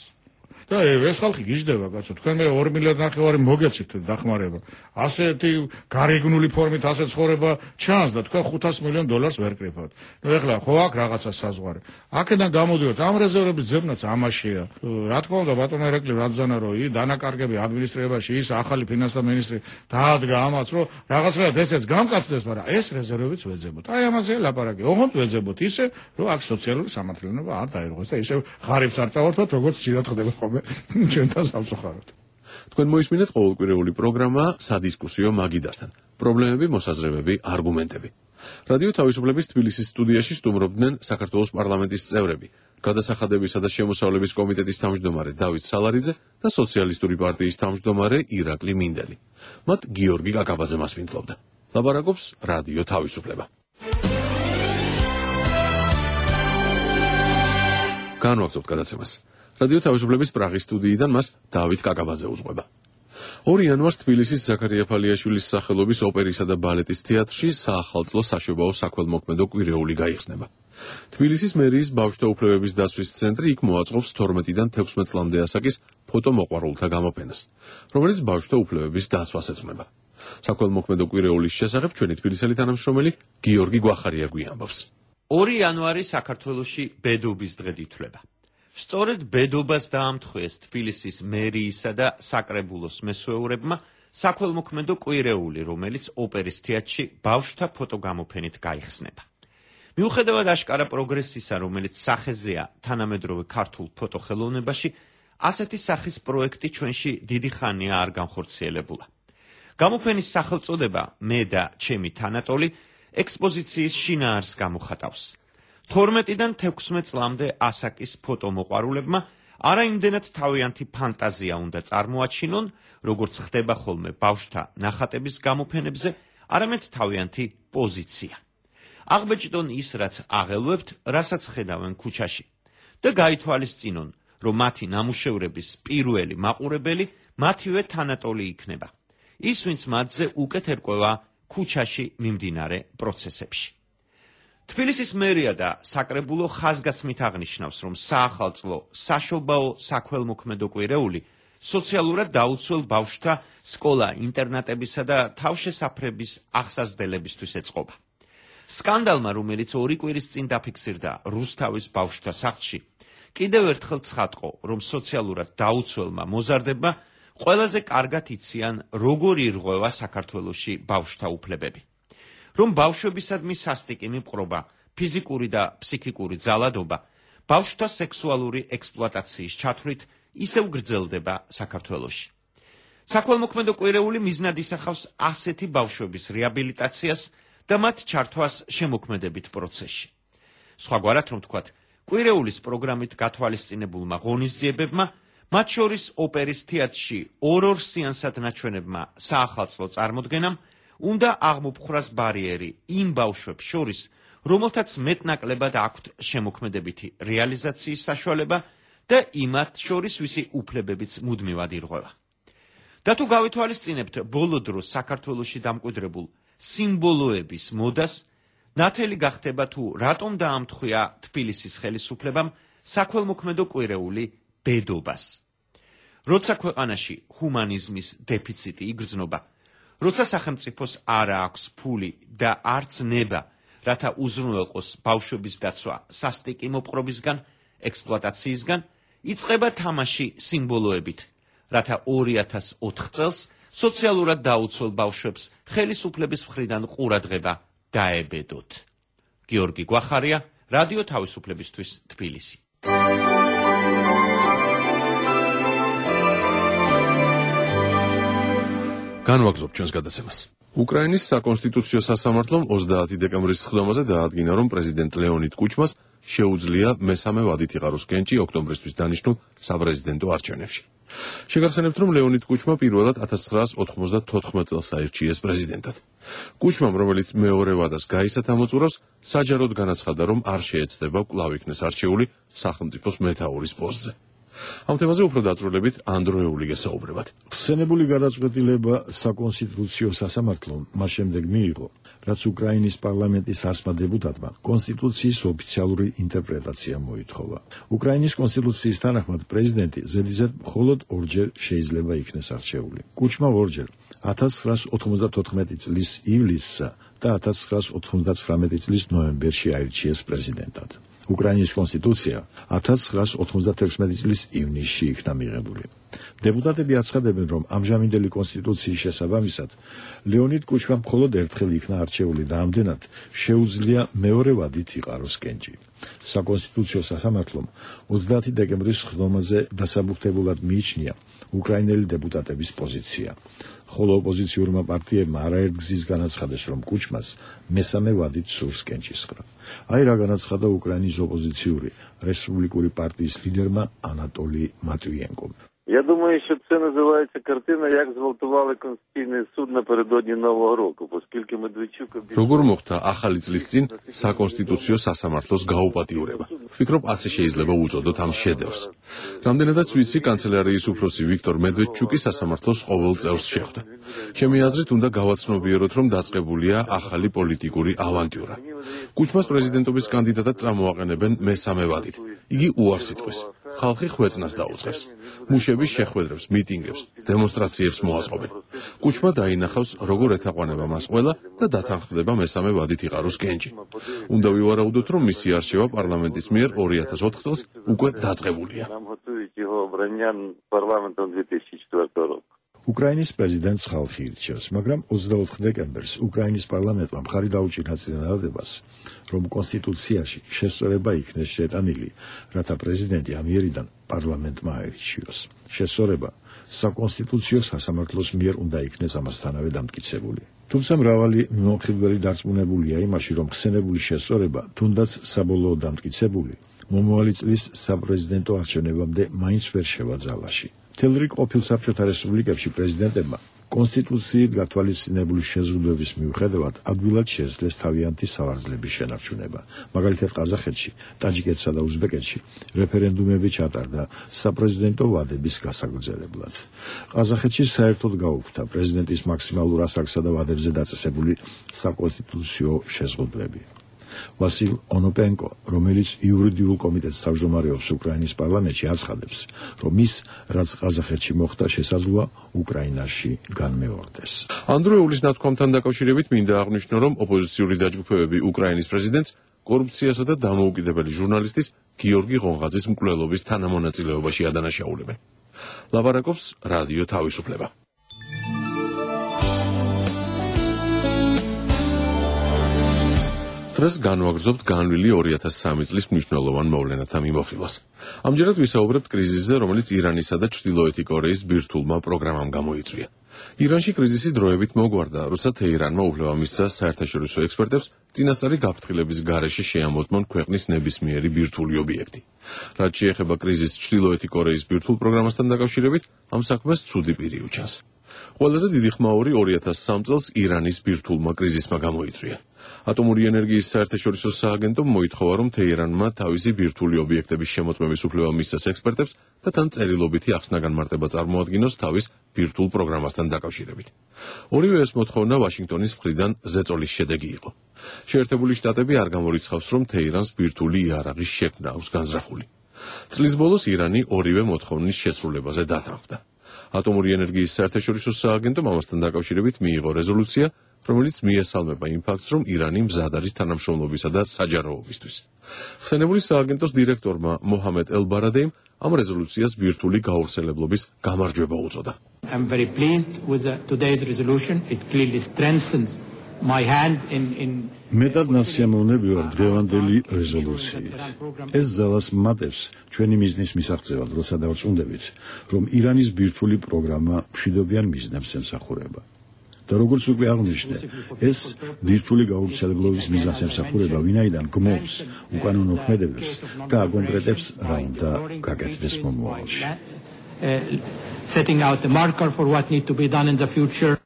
[SPEAKER 4] და ეს ხალხი გიждდება, კაცო, თქვენ მე ორი მილიარდი ნახევარი მოგეცით დახმარება. ასეთი გარეგნული ფორმით ასე ცხოვრება ჩანს და თქვენ ხუთას მილიონ დოლარს ვერ კრიფავთ. ნუ ეხლა ხო აქ რაღაცა საზღვარი. აქედან გამოდივართ, ამ რეზერვების ძებნაც ამაშია. რა თქმა უნდა, ბატონო ირაკლი რadzana რო ი დანაკარგები ადმინისტრირებაში ის ახალი ფინანსთა მინისტრი დაადგა ამას, რომ რაღაცნაირად ესეც გამკაცდეს, მაგრამ ეს რეზერვებიც ვეძებოთ. აი ამაზე ლაპარაკი. ოღონდ ვეძებოთ ისე, რომ აქ სოციალური სამართლიანობა არ დაირღვეს და ისე ღარიბს არ წავართვათ, როგორც ციდან ხდება ხოლმე. ჩვენთან სამწუხაროდ.
[SPEAKER 3] თქვენ მოისმინეთ ყოველკვირეული პროგრამა სადისკუსიო მაგიდასთან. პრობლემები, მოსაზრებები, არგუმენტები. რადიო თავისუფლების თბილისის სტუდიაში სტუმრობდნენ საქართველოს პარლამენტის წევრები, გადასახადებისა და შემოსავლების კომიტეტის თავმჯდომარე დავით სალარიძე და სოციალისტური პარტიის თავმჯდომარე ირაკლი მინდელი. მათ გიორგი კაკაბაძე მასპინძლობდა. ლაპარაკობს რადიო თავისუფლება. განვაგრძობთ გადაცემას. რადიო თავისუფლების პრაღის სტუდიიდან მას დავით კაკაბაძე უძღვება. ორი იანვარს თბილისის ზაქარია ფალიაშვილის სახელობის ოპერისა და ბალეტის თეატრში საახალწლო საშობაო საქველმოქმედო კვირეული გაიხსნება. თბილისის მერიის ბავშვთა უფლებების დაცვის ცენტრი იქ მოაწყობს თორმეტიდან თექვსმეტ წლამდე ასაკის ფოტომოყვარულთა გამოფენას, რომელიც ბავშვთა უფლებების დაცვას ეძღვნება. საქველმოქმედო კვირეულის შესახებ ჩვენი თბილისელი თანამშრომელი გიორგი გვახარია გვიამბობს.
[SPEAKER 16] ორი იანვარი საქართველოში ბედობის დღედ ითვლება. სწორედ ბედობას დაამთხვეს თბილისის მერიისა და საკრებულოს მესვეურებმა საქველმოქმედო კვირეული, რომელიც ოპერის თეატრში ბავშვთა ფოტოგამოფენით გაიხსნება. მიუხედავად აშკარა პროგრესისა, რომელიც სახეზეა თანამედროვე ქართულ ფოტოხელოვნებაში, ასეთი სახის პროექტი ჩვენში დიდი ხანია არ განხორციელებულა. გამოფენის სახელწოდება „მე და ჩემი თანატოლი“ ექსპოზიციის შინაარსს გამოხატავს. თორმეტიდან თექვსმეტ წლამდე ასაკის ფოტომოყვარულებმა არაიმდენად თავიანთი ფანტაზია უნდა წარმოაჩინონ, როგორც ხდება ხოლმე ბავშვთა ნახატების გამოფენებზე, არამედ თავიანთი პოზიცია. აღბეჭდონ ის, რაც აღელვებთ, რასაც ხედავენ ქუჩაში და გაითვალისწინონ, რომ მათი ნამუშევრების პირველი მაყურებელი მათივე თანატოლი იქნება. ის, ვინც მათზე უკეთ ერკვევა ქუჩაში მიმდინარე პროცესებში. თბილისის მერია და საკრებულო ხაზგასმით აღნიშნავს, რომ საახალწლო საშობაო საქველმოქმედო კვირეული სოციალურად დაუცველ ბავშვთა სკოლა-ინტერნატებისა და თავშესაფრების აღსაზრდელებისთვის ეწყობა. სკანდალმა, რომელიც ორი კვირის წინ დაფიქსირდა რუსთავის ბავშვთა სახლში, კიდევ ერთხელ ცხადყო, რომ სოციალურად დაუცველმა მოზარდებმა ყველაზე კარგად იციან, როგორ ირღვევა საქართველოში ბავშვთა უფლებები. რომ ბავშვებისადმი სასტიკი მიპყრობა, ფიზიკური და ფსიქიკური ძალადობა, ბავშვთა სექსუალური ექსპლუატაციის ჩათვლით ისევ გრძელდება საქართველოში. საქველმოქმედო კვირეული მიზნად ისახავს ასეთი ბავშვების რეაბილიტაციას და მათ ჩართვას შემოქმედებით პროცესში. სხვაგვარად რომ ვთქვათ, კვირეულის პროგრამით გათვალისწინებულმა ღონისძიებებმა, მათ შორის ოპერის თეატრში ორ-ორ სეანსად ნაჩვენებმა საახალწლო წარმოდგენამ უნდა აღმოფხვრას ბარიერი იმ ბავშვებს შორის, რომელთაც მეტნაკლებად აქვთ შემოქმედებითი რეალიზაციის საშუალება და იმათ შორის ვისი უფლებებიც მუდმივად ირღვევა. და თუ გავითვალისწინებთ ბოლო დროს საქართველოში დამკვიდრებულ სიმბოლოების მოდას, ნათელი გახდება თუ რატომ დაამთხვია თბილისის ხელისუფლებამ საქველმოქმედო კვირეული ბედობას. როცა ქვეყანაში ჰუმანიზმის დეფიციტი იგრძნობა, როცა სახელმწიფოს არ აქვს ფული და არც ნება, რათა უზრუნველყოს ბავშვების დაცვა სასტიკი მოპყრობისგან, ექსპლუატაციისგან, იწყება თამაში სიმბოლოებით, რათა ორი ათას ოთხ წელს სოციალურად დაუცველ ბავშვებს ხელისუფლების მხრიდან ყურადღება დაებედოთ. გიორგი გვახარია, რადიო თავისუფლებისთვის, თბილისი.
[SPEAKER 3] განვაგზობთ ჩვენს გადაცემას. უკრაინის საკონსტიტუციო სასამართლომ ოცდაათი დეკემბრის სხდომაზე დაადგინა, რომ პრეზიდენტ ლეონიდ კუჩმას შეუძლია მესამე ვადით იყაროს კენჭი ოქტომბრისთვის დანიშნულ საპრეზიდენტო არჩევნებში. შეგახსენებთ, რომ ლეონიდ კუჩმა პირველად ათას ცხრაას ოთხმოცდათოთხმეტ წელს აირჩიეს პრეზიდენტად. კუჩმამ, რომელიც მეორე ვადას გაისათ ამოწურავს, საჯაროდ განაცხადა, რომ არ შეეცდება კვლავ იქნეს არჩეული სახელმწიფოს მეთაურის პოსტზე. ამ თემაზე უფრო დაწვრილებით ანდროეული გესაუბრებათ.
[SPEAKER 17] ხსენებული გადაწყვეტილება საკონსტიტუციო სასამართლომ მას შემდეგ მიიღო, რაც უკრაინის პარლამენტის ასმა დეპუტატმა კონსტიტუციის ოფიციალური ინტერპრეტაცია მოითხოვა. უკრაინის კონსტიტუციის თანახმად პრეზიდენტი ზედიზედ მხოლოდ ორჯერ შეიძლება იქნეს არჩეული. კუჩმა ორჯერ ათას ცხრაას ოთხმოცდათოთხმეტი წლის ივლისსა და ათას ცხრაას ოთხმოცდათხრამეტი წლის ნოემბერში აირჩიეს პრეზიდენტად. უკრაინის კონსტიტუცია ათას ცხრაას ოცდაათი წლის ივნისში იქნა მიღებული. დეპუტატები აცხადებენ, რომ ამჟამინდელი კონსტიტუციის შესაბამისად ლეონიდ კუჩმამ მხოლოდ ერთხელ იქნა არჩეული და ამდენად შეუძლია მეორე ვადით იყაროს კენჭი. საკონსტიტუციო სასამართლომ ოცდაათი დეკემბრის სხდომაზე დასაბუთებულად მიიჩნია უკრაინელი დეპუტატების პოზიცია. ხოლო ოპოზიციურმა პარტიებმა არაერთ გზის განაცხადეს, რომ კუჩმას მესამე ვადით სურს კენჭისყრა. აი რა განაცხადა უკრაინის ოპოზიციური რესპუბლიკური партიის лидерма Анатолий Матвиенко.
[SPEAKER 18] Я думаю, що це називається картина, як зґвалтували Конституційний суд напередодні Нового року, оскільки Медведчук...
[SPEAKER 3] როგორ მოხდა ახალი წლის წინ საკონსტიტუციო სასამართლოს გაუპატიურება. ვფიქრობ, ასე შეიძლება უწოდოთ ამ შედევრს. რამდენადაც ვიცი, კანცელარიის უფროსი ვიქტორ მედვედჩუკი სასამართლოს ყოველ წევრს შეხვდა. ჩემი აზრით, უნდა გავაცნობიეროთ, რომ დაწყებულია ახალი პოლიტიკური ავანტიურა. კუჩმას პრეზიდენტობის კანდიდატად წამოაყენებენ მესამე ვადით. იგი უარს იტყვის. ხალხი ხვეწნას დაუწყებს. მუშების შეხვედრებს, მიტინგებს, დემონსტრაციებს მოაწყობენ. კუჩმა დაინახავს, როგორ ეთაყვანება მას ყველა და დათანხმდება მესამე ვადით იყაროს კენჭი. უნდა ვივარაუდოთ, რომ მისი არჩევა პარლამენტის მიერ ორი ათას ოთხ წელს უკვე დაწყებულია. უკრაინის პრეზიდენტს ხალხი ირჩევს, მაგრამ ოცდაოთხ დეკემბერს უკრაინის პარლამენტმა მხარი დაუჭირა წინადადებას, რომ კონსტიტუციაში შესწორება იქნეს შეტანილი, რათა პრეზიდენტი ამიერიდან პარლამენტმა აირჩიოს. შესწორება საკონსტიტუციო სასამართლოს მიერ უნდა იქნეს ამასთანავე დამტკიცებული. თუმცა მრავალი მიმოხილველი დარწმუნებულია იმაში, რომ ხსენებული შესწორება, თუნდაც საბოლოო დამტკიცებული, მომავალი წლის საპრეზიდენტო არჩევნებამდე მაინც ვერ შევა ძალაში. თელრიკ ყოფილ საბჭოთა რესპუბლიკებში პრეზიდენტებმა
[SPEAKER 17] კონსტიტუციით გათვალისწინებული შეზღუდვების მიუხედავად ადვილად შეძლეს თავიანთი სავარძლების შენარჩუნება. მაგალითად, ყაზახეთში, ტაჯიკეთსა და უზბეკეთში რეფერენდუმები ჩატარდა საპრეზიდენტო ვადების გასაგრძელებლად. ყაზახეთში საერთოდ გაუქმდა პრეზიდენტის მაქსიმალურ ასაკსა და ვადებზე დაწესებული საკონსტიტუციო შეზღუდვები. ვასილ ონოპენკო, რომელიც იურიდიულ კომიტეტს თავმჯდომარეობს უკრაინის პარლამენტში, აცხადებს, რომ ის, რაც ყაზახეთში მოხდა, შესაძლოა უკრაინაში განმეორდეს.
[SPEAKER 3] ანდროეულის ნათქვამთან დაკავშირებით მინდა აღნიშნო, რომ ოპოზიციური დაჯგუფებები უკრაინის პრეზიდენტს კორუფციასა და დამოუკიდებელი ჟურნალისტის გიორგი ღონღაძის მკვლელობის თანამონაწილეობაში ადანაშაულებენ. ლაპარაკობს რადიო თავისუფლება. დღეს განვაგრძობთ განვლილი ორი ათას სამი წლის მნიშვნელოვან მოვლენათა მიმოხილვას. ამჯერად ვისაუბრებთ კრიზისზე, რომელიც ირანისა და ჩრდილოეთი კორეის ბირთვულმა პროგრამამ გამოიწვია. ირანში კრიზისი დროებით მოგვარდა, როცა თეირანმა უფლება მისცა საერთაშორისო ექსპერტებს წინასწარი გაფრთხილების გარეშე შეამოწმონ ქვეყნის ნებისმიერი ბირთვული ობიექტი. რაც შეეხება კრიზისს ჩრდილოეთი კორეის ბირთვულ პროგრამასთან დაკავშირებით, ამ საქმეს ცუდი პირი უჩანს. ყველაზე დიდი ხმაური ორი ათას სამი წელს ირანის ბირთვულმა კრიზისმა გამოიწვია. ატომური ენერგიის საერთაშორისო სააგენტომ მოითხოვა, რომ თეირანმა თავისი ბირთვული ობიექტების შემოწმების უფლება მისცეს ექსპერტებს და თან წერილობითი ახსნა-განმარტება წარმოადგინოს თავის ბირთვულ პროგრამასთან დაკავშირებით. ორივე ეს მოთხოვნა ვაშინგტონის მხრიდან ზეწოლის შედეგი იყო. შეერთებული შტატები არ გამორიცხავს, რომ თეირანს ბირთვული იარაღის შექმნა აქვს განზრახული. წლის ბოლოს ირანი ორივე მოთხოვნის შესრულებაზე დათანხმდა. ატომური ენერგიის საერთაშორისო სააგენტომ ამასთან დაკავშირებით მიიღო რეზოლუცია, რომელიც მიესალმება იმ ფაქტს, რომ ირანი მზად არის თანამშრომლობისა და საჯაროობისთვის. ხსენებული სააგენტოს დირექტორმა მოჰამედ ელ-ბარადეიმ ამ რეზოლუციას ბირთვული გავრცელებლობის გამარჯვება უწოდა.
[SPEAKER 19] I'm very pleased with the, today's resolution. It clearly strengthens my hand in in
[SPEAKER 17] მეტად ნაცემოვნები ვარ დღევანდელი რეზოლუციით. ეს ძალას მატებს ჩვენი მიზნის მისაღწევად, როცა დავწუნდებით, რომ ირანის ბირთვული პროგრამა მშვიდობიან მიზნებს ემსახურება. და როგორც უკვე აღნიშნე, ეს ბირთვული გავრცელებლობის მიზანს ემსახურება, ვინაიდან გმობს უკანონო ქმედებებს და აკონკრეტებს რა უნდა გაკეთდეს მომავალში.
[SPEAKER 19] Setting out the marker for what need to be done in the future.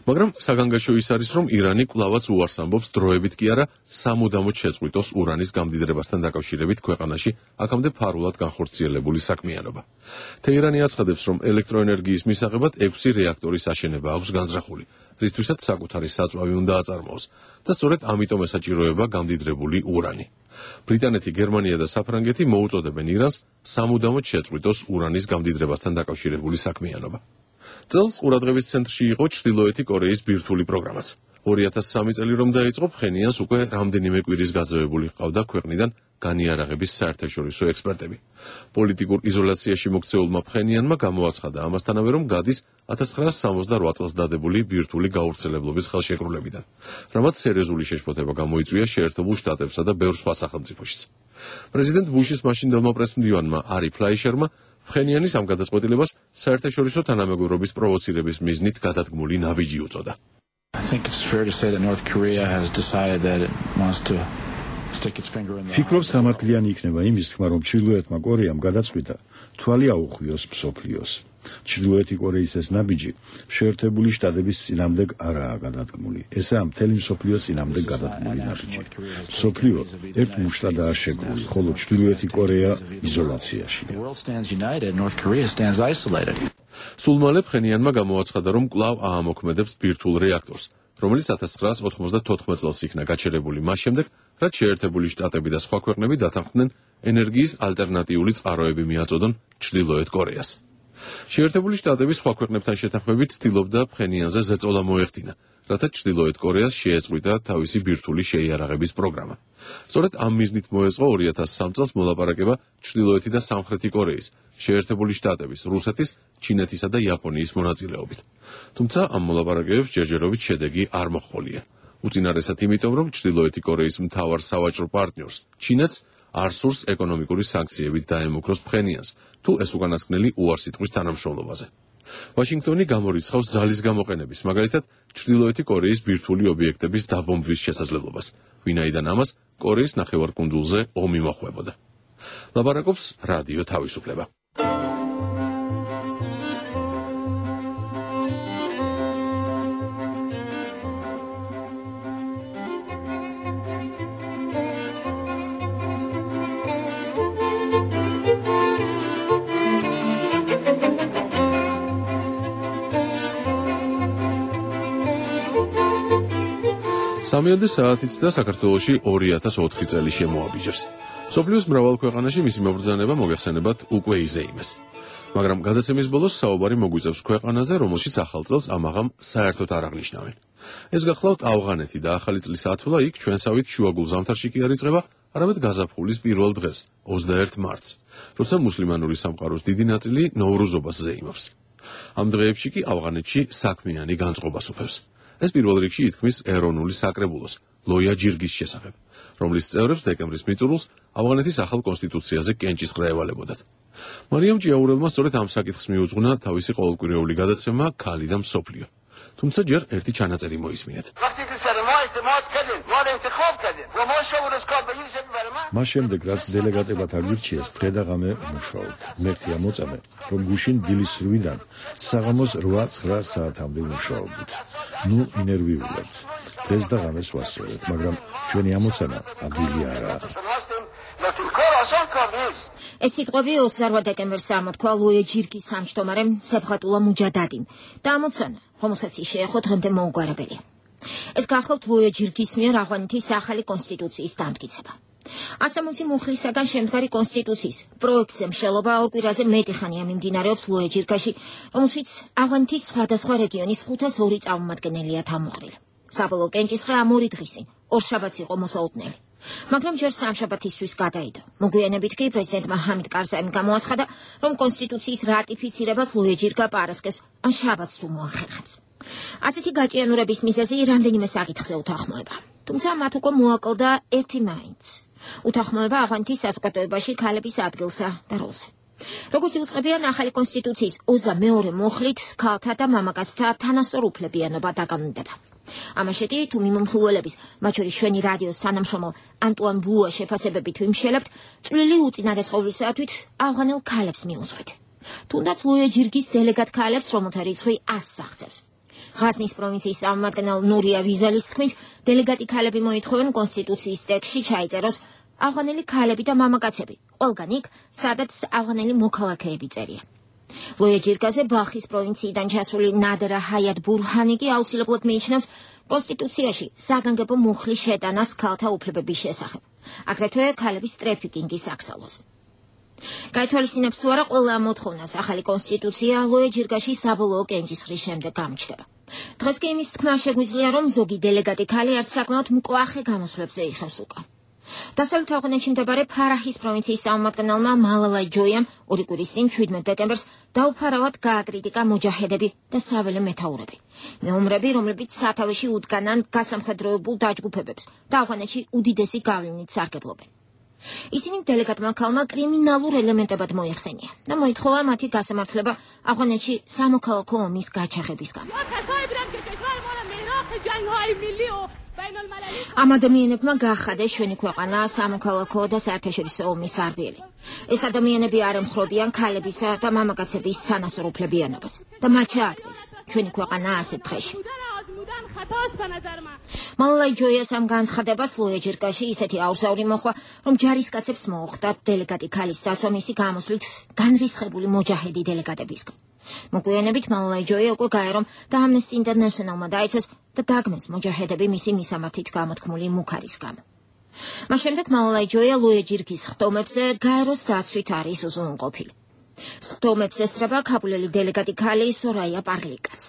[SPEAKER 3] მაგრამ საგანგაშო ის არის, რომ ირანი კვლავაც უარს ამბობს დროებით კი არა სამუდამოდ შეწყვიტოს ურანის გამდიდრებასთან დაკავშირებით ქვეყანაში აქამდე ფარულად განხორციელებული საქმიანობა. თეირანი აცხადებს, რომ ელექტროენერგიის მისაღებად ექვსი რეაქტორის აშენება აქვს განზრახული, რისთვისაც საკუთარი საწვავი უნდა აწარმოოს და სწორედ ამიტომ ესაჭიროება გამდიდრებული ურანი. ბრიტანეთი, გერმანია და საფრანგეთი მოუწოდებენ ირანს სამუდამოდ შეწყვიტოს ურანის გამდიდრებასთან დაკავშირებული საქმიანობა. წელს ყურადღების ცენტრში იყო ჩრდილოეთი კორეის ბირთვული პროგრამაც. ორი ათას სამი წელი რომ დაიწყო, ფხენიანს უკვე რამდენიმე კვირის გაძევებული ჰყავდა ქვეყნიდან განიარაღების საერთაშორისო ექსპერტები. პოლიტიკურ იზოლაციაში მოქცეულმა ფხენიანმა გამოაცხადა ამასთანავე, რომ გადის ათას ცხრაასი სამოცდარვა წელს დადებული ბირთვული გავრცელებლობის ხელშეკრულებიდან, რამაც სერიოზული შეშფოთება გამოიწვია შეერთებულ შტატებსა და ბევრ სხვა სახელმწიფოშიც. პრეზიდენტ ბუშის მაშინდელმა პრესმდივანმა არი ფლაიშერმა ფხენიანის ამ გადაწყვეტილებას საერთაშორისო თანამეგობრობის პროვოცირების მიზნით გადადგმული ნაბიჯი უწოდა.
[SPEAKER 20] I think it's fair to say that North Korea has decided that it wants to stick its finger in the
[SPEAKER 17] ფიქრობ სამართლიანი იქნება იმის თქმა, რომ ჩრდილოეთმა კორეამ გადაწყვიტა თვალი აუხვიოს მსოფლიოს. ჩრდილოეთი კორეის ეს ნაბიჯი შეერთებული შტატების წინამდებ არაა გადადგმული. ესაა მთელი მსოფლიოს წინამდებ გადადგმული ნაბიჯი. მსოფლიო ერთ მუშტადაა შეგრული, ხოლო ჩრდილოეთი კორეა იზოლაციაში.
[SPEAKER 20] The world stands united, North Korea stands isolated.
[SPEAKER 3] სულ მალე ფხენიანმა გამოაცხადა, რომ კვლავ აამოქმედებს ბირთვულ რეაქტორს, რომელიც ათას ცხრაასი ოთხმოცდათოთხმეტ წელს იქნა გაჩერებული მას შემდეგ, რაც შეერთებული შტატები და სხვა ქვეყნები დათანხმდნენ ენერგიის ალტერნატიული წყაროები მიაწოდონ ჩრდილოეთ კორეას. შეერთებული შტატები სხვა ქვეყნებთან შეთანხმებით ცდილობდა ფხენიანზე ზეწოლა მოეხდინა, რათა ჩრდილოეთ კორეას შეეწყვიტა თავისი ბირთვული შეიარაღების პროგრამა. სწორედ ამ მიზნით მოეწყო ორი ათას სამი წელს მოლაპარაკება ჩრდილოეთი და სამხრეთი კორეის, შეერთებული შტატების, რუსეთის, ჩინეთისა და იაპონიის მონაწილეობით. თუმცა ამ მოლაპარაკებებს ჯერჯერობით შედეგი არ მოჰყოლია. უწინარესად იმიტომ, რომ ჩრდილოეთი კორეის მთავარ სავაჭრო პარტნიორს, ჩინეთს, არ სურს ეკონომიკური სანქციებით დაემუქროს ფხენიანს, თუ ეს უკანასკნელი უარს იტყვის თანამშრომლობაზე. ვაშინგტონი გამორიცხავს ძალის გამოყენების, მაგალითად, ჩრდილოეთი კორეის ბირთვული ობიექტების დაბომბვის შესაძლებლობას, ვინაიდან ამას კორეის ნახევარკუნძულზე ომი მოხვებოდა. ლაპარაკობს რადიო თავისუფლება. სამიოდე საათიც და საქართველოში ორი ათას ოთხი წელი შემოაბიჯებს. სოფლიოს მრავალ ქვეყანაში მისი მობრძანება მოგეხსენებათ უკვე იზეიმეს. მაგრამ გადაცემის ბოლოს საუბარი მოგვიწევს ქვეყანაზე, რომელშიც ახალ წელს ამაღამ საერთოდ არ აღნიშნავენ. ეს გახლავთ ავღანეთი და ახალი წლის ათვლა იქ ჩვენსავით შუაგულ ზამთარში კი არ იწყება, არამედ გაზაფხულის პირველ დღეს, ოცდაერთ მარტს, როცა მუსლიმანური სამყაროს დიდი ნაწილი ნოვრუზობას ზეიმობს. ამ დღეებში კი ავღანეთში საქმიანი განწყობას უფევს. ეს პირველ რიგში ითქმის ეროვნული საკრებულოს, ლოია ჯირგის შესახებ, რომლის წევრებს დეკემბრის მიწურულს ავღანეთის ახალ კონსტიტუციაზე კენჭისყრა ევალებოდათ. მარიამ ჭიაურელმა სწორედ ამ საკითხს მიუძღვნა თავისი ყოველკვირეული გადაცემა „ქალი და მსოფლიო“. თუმცა ჯერ ერთი ჩანაწერი მოისმინეთ.
[SPEAKER 17] მას შემდეგ, რაც დელეგატებად აგვირჩიეს, დღე და ღამე მუშაობთ. მერტია მოწამე, რომ გუშინ დილის რვიდან საღამოს რვა ცხრა საათამდე მუშაობთ. ნუ ინერვიულებთ. დღეს და ღამეს ვასწორეთ, მაგრამ ჩვენი ამოცანა ადვილი არაა.
[SPEAKER 21] ეს სიტყვები ოცდაორ დეკემბერს ამოთქვა ლუია ჯირგის სამჯდომარემ სეფხატულა მუჯადადიმ და ამოცანა, რომელსაც ის შეეხო დღემდე მოუგვარებელია. ეს გახლავთ ლუია ჯირგის მიერ ავღანეთის ახალი კონსტიტუციის დამტკიცება. ასამოცი მუხლისაგან შემდგარი კონსტიტუციის პროექტზე მშელობა ორ კვირაზე მეტი ხანია მიმდინარეობს ლუია ჯირგაში, რომელშიც ავღანეთის სხვადასხვა რეგიონის ხუთას ორი წარმომადგენელია თავმოყრილი. საბოლოო კენჭისყრა ამ ორი დღისին, ორშაბათს იყო მოსაუտնელი. მაგრამ ჯერ სამშაბათისთვის გადაიდო. მოგვიანებით კი პრეზიდენტმა ჰამიდ კარზაიმ გამოაცხადა, რომ კონსტიტუციის რატიფიცირებას ლუია ჯირგა პარასკევს ან შაბათს თუ მოახერხებს. ასეთი გაჭიანურების მიზეზი რამდენიმე საკითხზე უთანხმოება. თუმცა მათ უკვე მოაკლდა ერთი მაინც. უთანხმოება ავღანეთის საზოგადოებაში ქალების ადგილსა და როლზე. როგორც იუწყებიან ახალი კონსტიტუციის ოცდამეორე მუხლით, ქალთა და მამაკაცთა თანასწორ უფლებიანობა დაკანონდება. ამაშეთი თუ მიმომხილველების, მათ შორის ჩვენი რადიოს თანამშრომელ ანტუან ბლუა შეფასებებით ვიმშელებთ, წვლილი უწინარესყოვლისათვის ავღანელ ქალებს მიუძღვით. თუნდაც ლუია ჯირგის დელეგატ ქალებს, რომელთა რიცხვი ასს აღწევს. ღაზნის პროვინციის წარმომადგენელ ნურია ვიზალის თქმით, დელეგატი ქალები მოითხოვენ კონსტიტუციის ტექსტში ჩაიწეროს ავღანელი ქალები და მამაკაცები, ყველგან იქ, სადაც ავღანელი მოქალაქეები წერია. ლუია ჯირგაზე ბალხის პროვინციიდან ჩასული ნადერა ჰაიატ ბურჰანი კი აუცილებლად მიიჩნევს კონსტიტუციაში საგანგებო მუხლის შეტანას ქალთა უფლებების შესახებ, აგრეთვე ქალების ტრეფიკინგის აკრძალვას. გაითვალისწინებს თუ არა ყველა მოთხოვნას ახალი კონსტიტუცია ლუია ჯირგაში საბოლოო კენჭისყრის შემდეგ გამჩნდება. დღეს კი იმის თქმა შეგვიძლია, რომ ზოგი დელეგატი ქალი არც საკმაოდ მკვახე გამოსვლებზე იხევს უკან. დასავლეთ ავღანეთში მდებარე ფარაჰის პროვინციის წარმომადგენელმა მალალაი ჯოიამ ორი კვირის წინ შვიდმეტ დეკემბერს დაუფარავად გააკრიტიკა მოჯაჰედები და საველე მეთაურები, მეომრები, რომლებიც სათავეში უდგანან გასამხედროებულ დაჯგუფებებს და ავღანეთში უდიდესი გავლენით სარგებლობენ. ისინი დელეგატმა ქალმა კრიმინალურ ელემენტებად მოიხსენია და მოითხოვა მათი გასამართლება ავღანეთში სამოქალაქო ომის გაჩაღების გამო. ამ ადამიანებმა გაახადეს ჩვენი ქვეყანა სამოქალაქო და საერთაშორისო ომის სარბიელი. ეს ადამიანები არ ემხრობიან ქალებისა და მამაკაცების თანასწორ უფლებიანობას და მათ ჩააგდეს ჩვენი ქვეყანა ასეთ დღეში. მალალაი ჯოიას ამ განცხადებას ლუია ჯირგაში ისეთი აურზაური მოხვა, რომ ჯარისკაცებს მოუხდათ დელეგატი ქალის დაცვა მისი გამოსვლით განრისხებული მოჯაჰედი დელეგატებისგან. მოგვიანებით მალალაი ჯოია უკვე გაერომ და ამნესტი ინტერნეშნალმა დაიცვეს და დაგმეს მოჯაჰედები მისი მისამართით გამოთქმული მუქარის გამო. მას შემდეგ მალალაი ჯოია ლუია ჯირგის ხტომებზე გაეროს დაცვით არის უზრუნველყოფილი. ხტომებს ესწრება ქაბულელი დელეგატი ქალი სორაია პარლიკაც.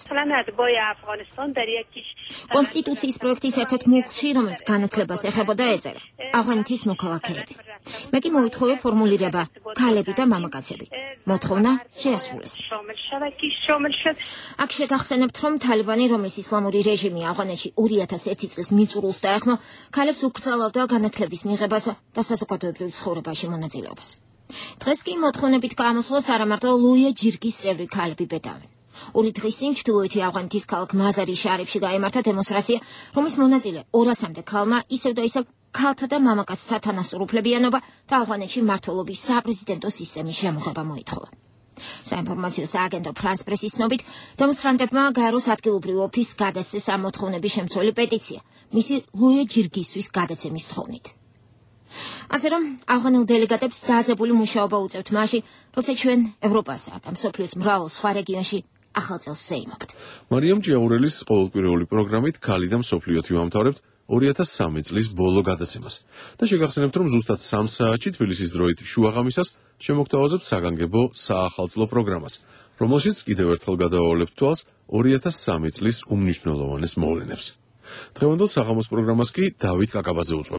[SPEAKER 21] კონსტიტუციის პროექტის ერთ-ერთ მუხლში, რომელიც განათლებას ეხებოდა, ეწერა ავღანეთის მოქალაქეები. მე კი მოითხოვე ფორმულირება ქალები და მამაკაცები. მოთხოვნა შეასრულეს. აქ შეგახსენებთ, რომ თალიბანი, რომლის ისლამური რეჟიმი ავღანეთში ორი ათას ერთი წლის მიწურულს დაეხმო, ქალებს უკრძალავდა განათლების მიღებასა და საზოგადოებრივ ცხოვრებაში მონაწილეობას. დღეს კი მოთხოვნებით გამოსვლას არამარტო ლუია ჯირგის წევრი ქალები ბედავენ. ორი დღის წინ ჩრდილოეთი ავღანეთის ქალაქ მაზარი შარიფში გაიმართა დემონსტრაცია, რომლის მონაწილე ორასამდე ქალმა ისევ და ისევ ქალთა და მამაკაცთა თანასწორ უფლებიანობა და ავღანეთში მმართველობის საპრეზიდენტო სისტემის შემოღება მოითხოვა. საინფორმაციო სააგენტო ფრანს პრესის ცნობით, დემონსტრანტებმა გაეროს ადგილობრივ ოფისს გადასცეს ამ მოთხოვნების შემცველი პეტიცია, მისი ლუია ჯირგისთვის გადაცემის თხოვნით. ასე რომ ავღანელ დელეგატებს დაძაბული მუშაობა უწევთ მაშინ, როცა ჩვენ ევროპასა და მსოფლიოს მრავალ სხვა რეგიონში ახალ წელს ვზეიმობთ.
[SPEAKER 3] მარიამ ჭიაურელის ყოველკვირეული პროგრამით ქალი და მსოფლიოთი ვამთავრებთ. ორი ათას სამი წლის ბოლო გადაცემას. და შეგახსენებთ, რომ ზუსტად სამ საათში თბილისის დროით შუაღამისას შემოგთავაზებთ საგანგებო საახალწლო პროგრამას, რომელშიც კიდევ ერთხელ გადავავლებთ თვალს ორი ათას სამი წლის უმნიშვნელოვანეს მოვლენებს. დღევანდელ საღამოს პროგრამას კი დავით კაკაბაძე უძღვება.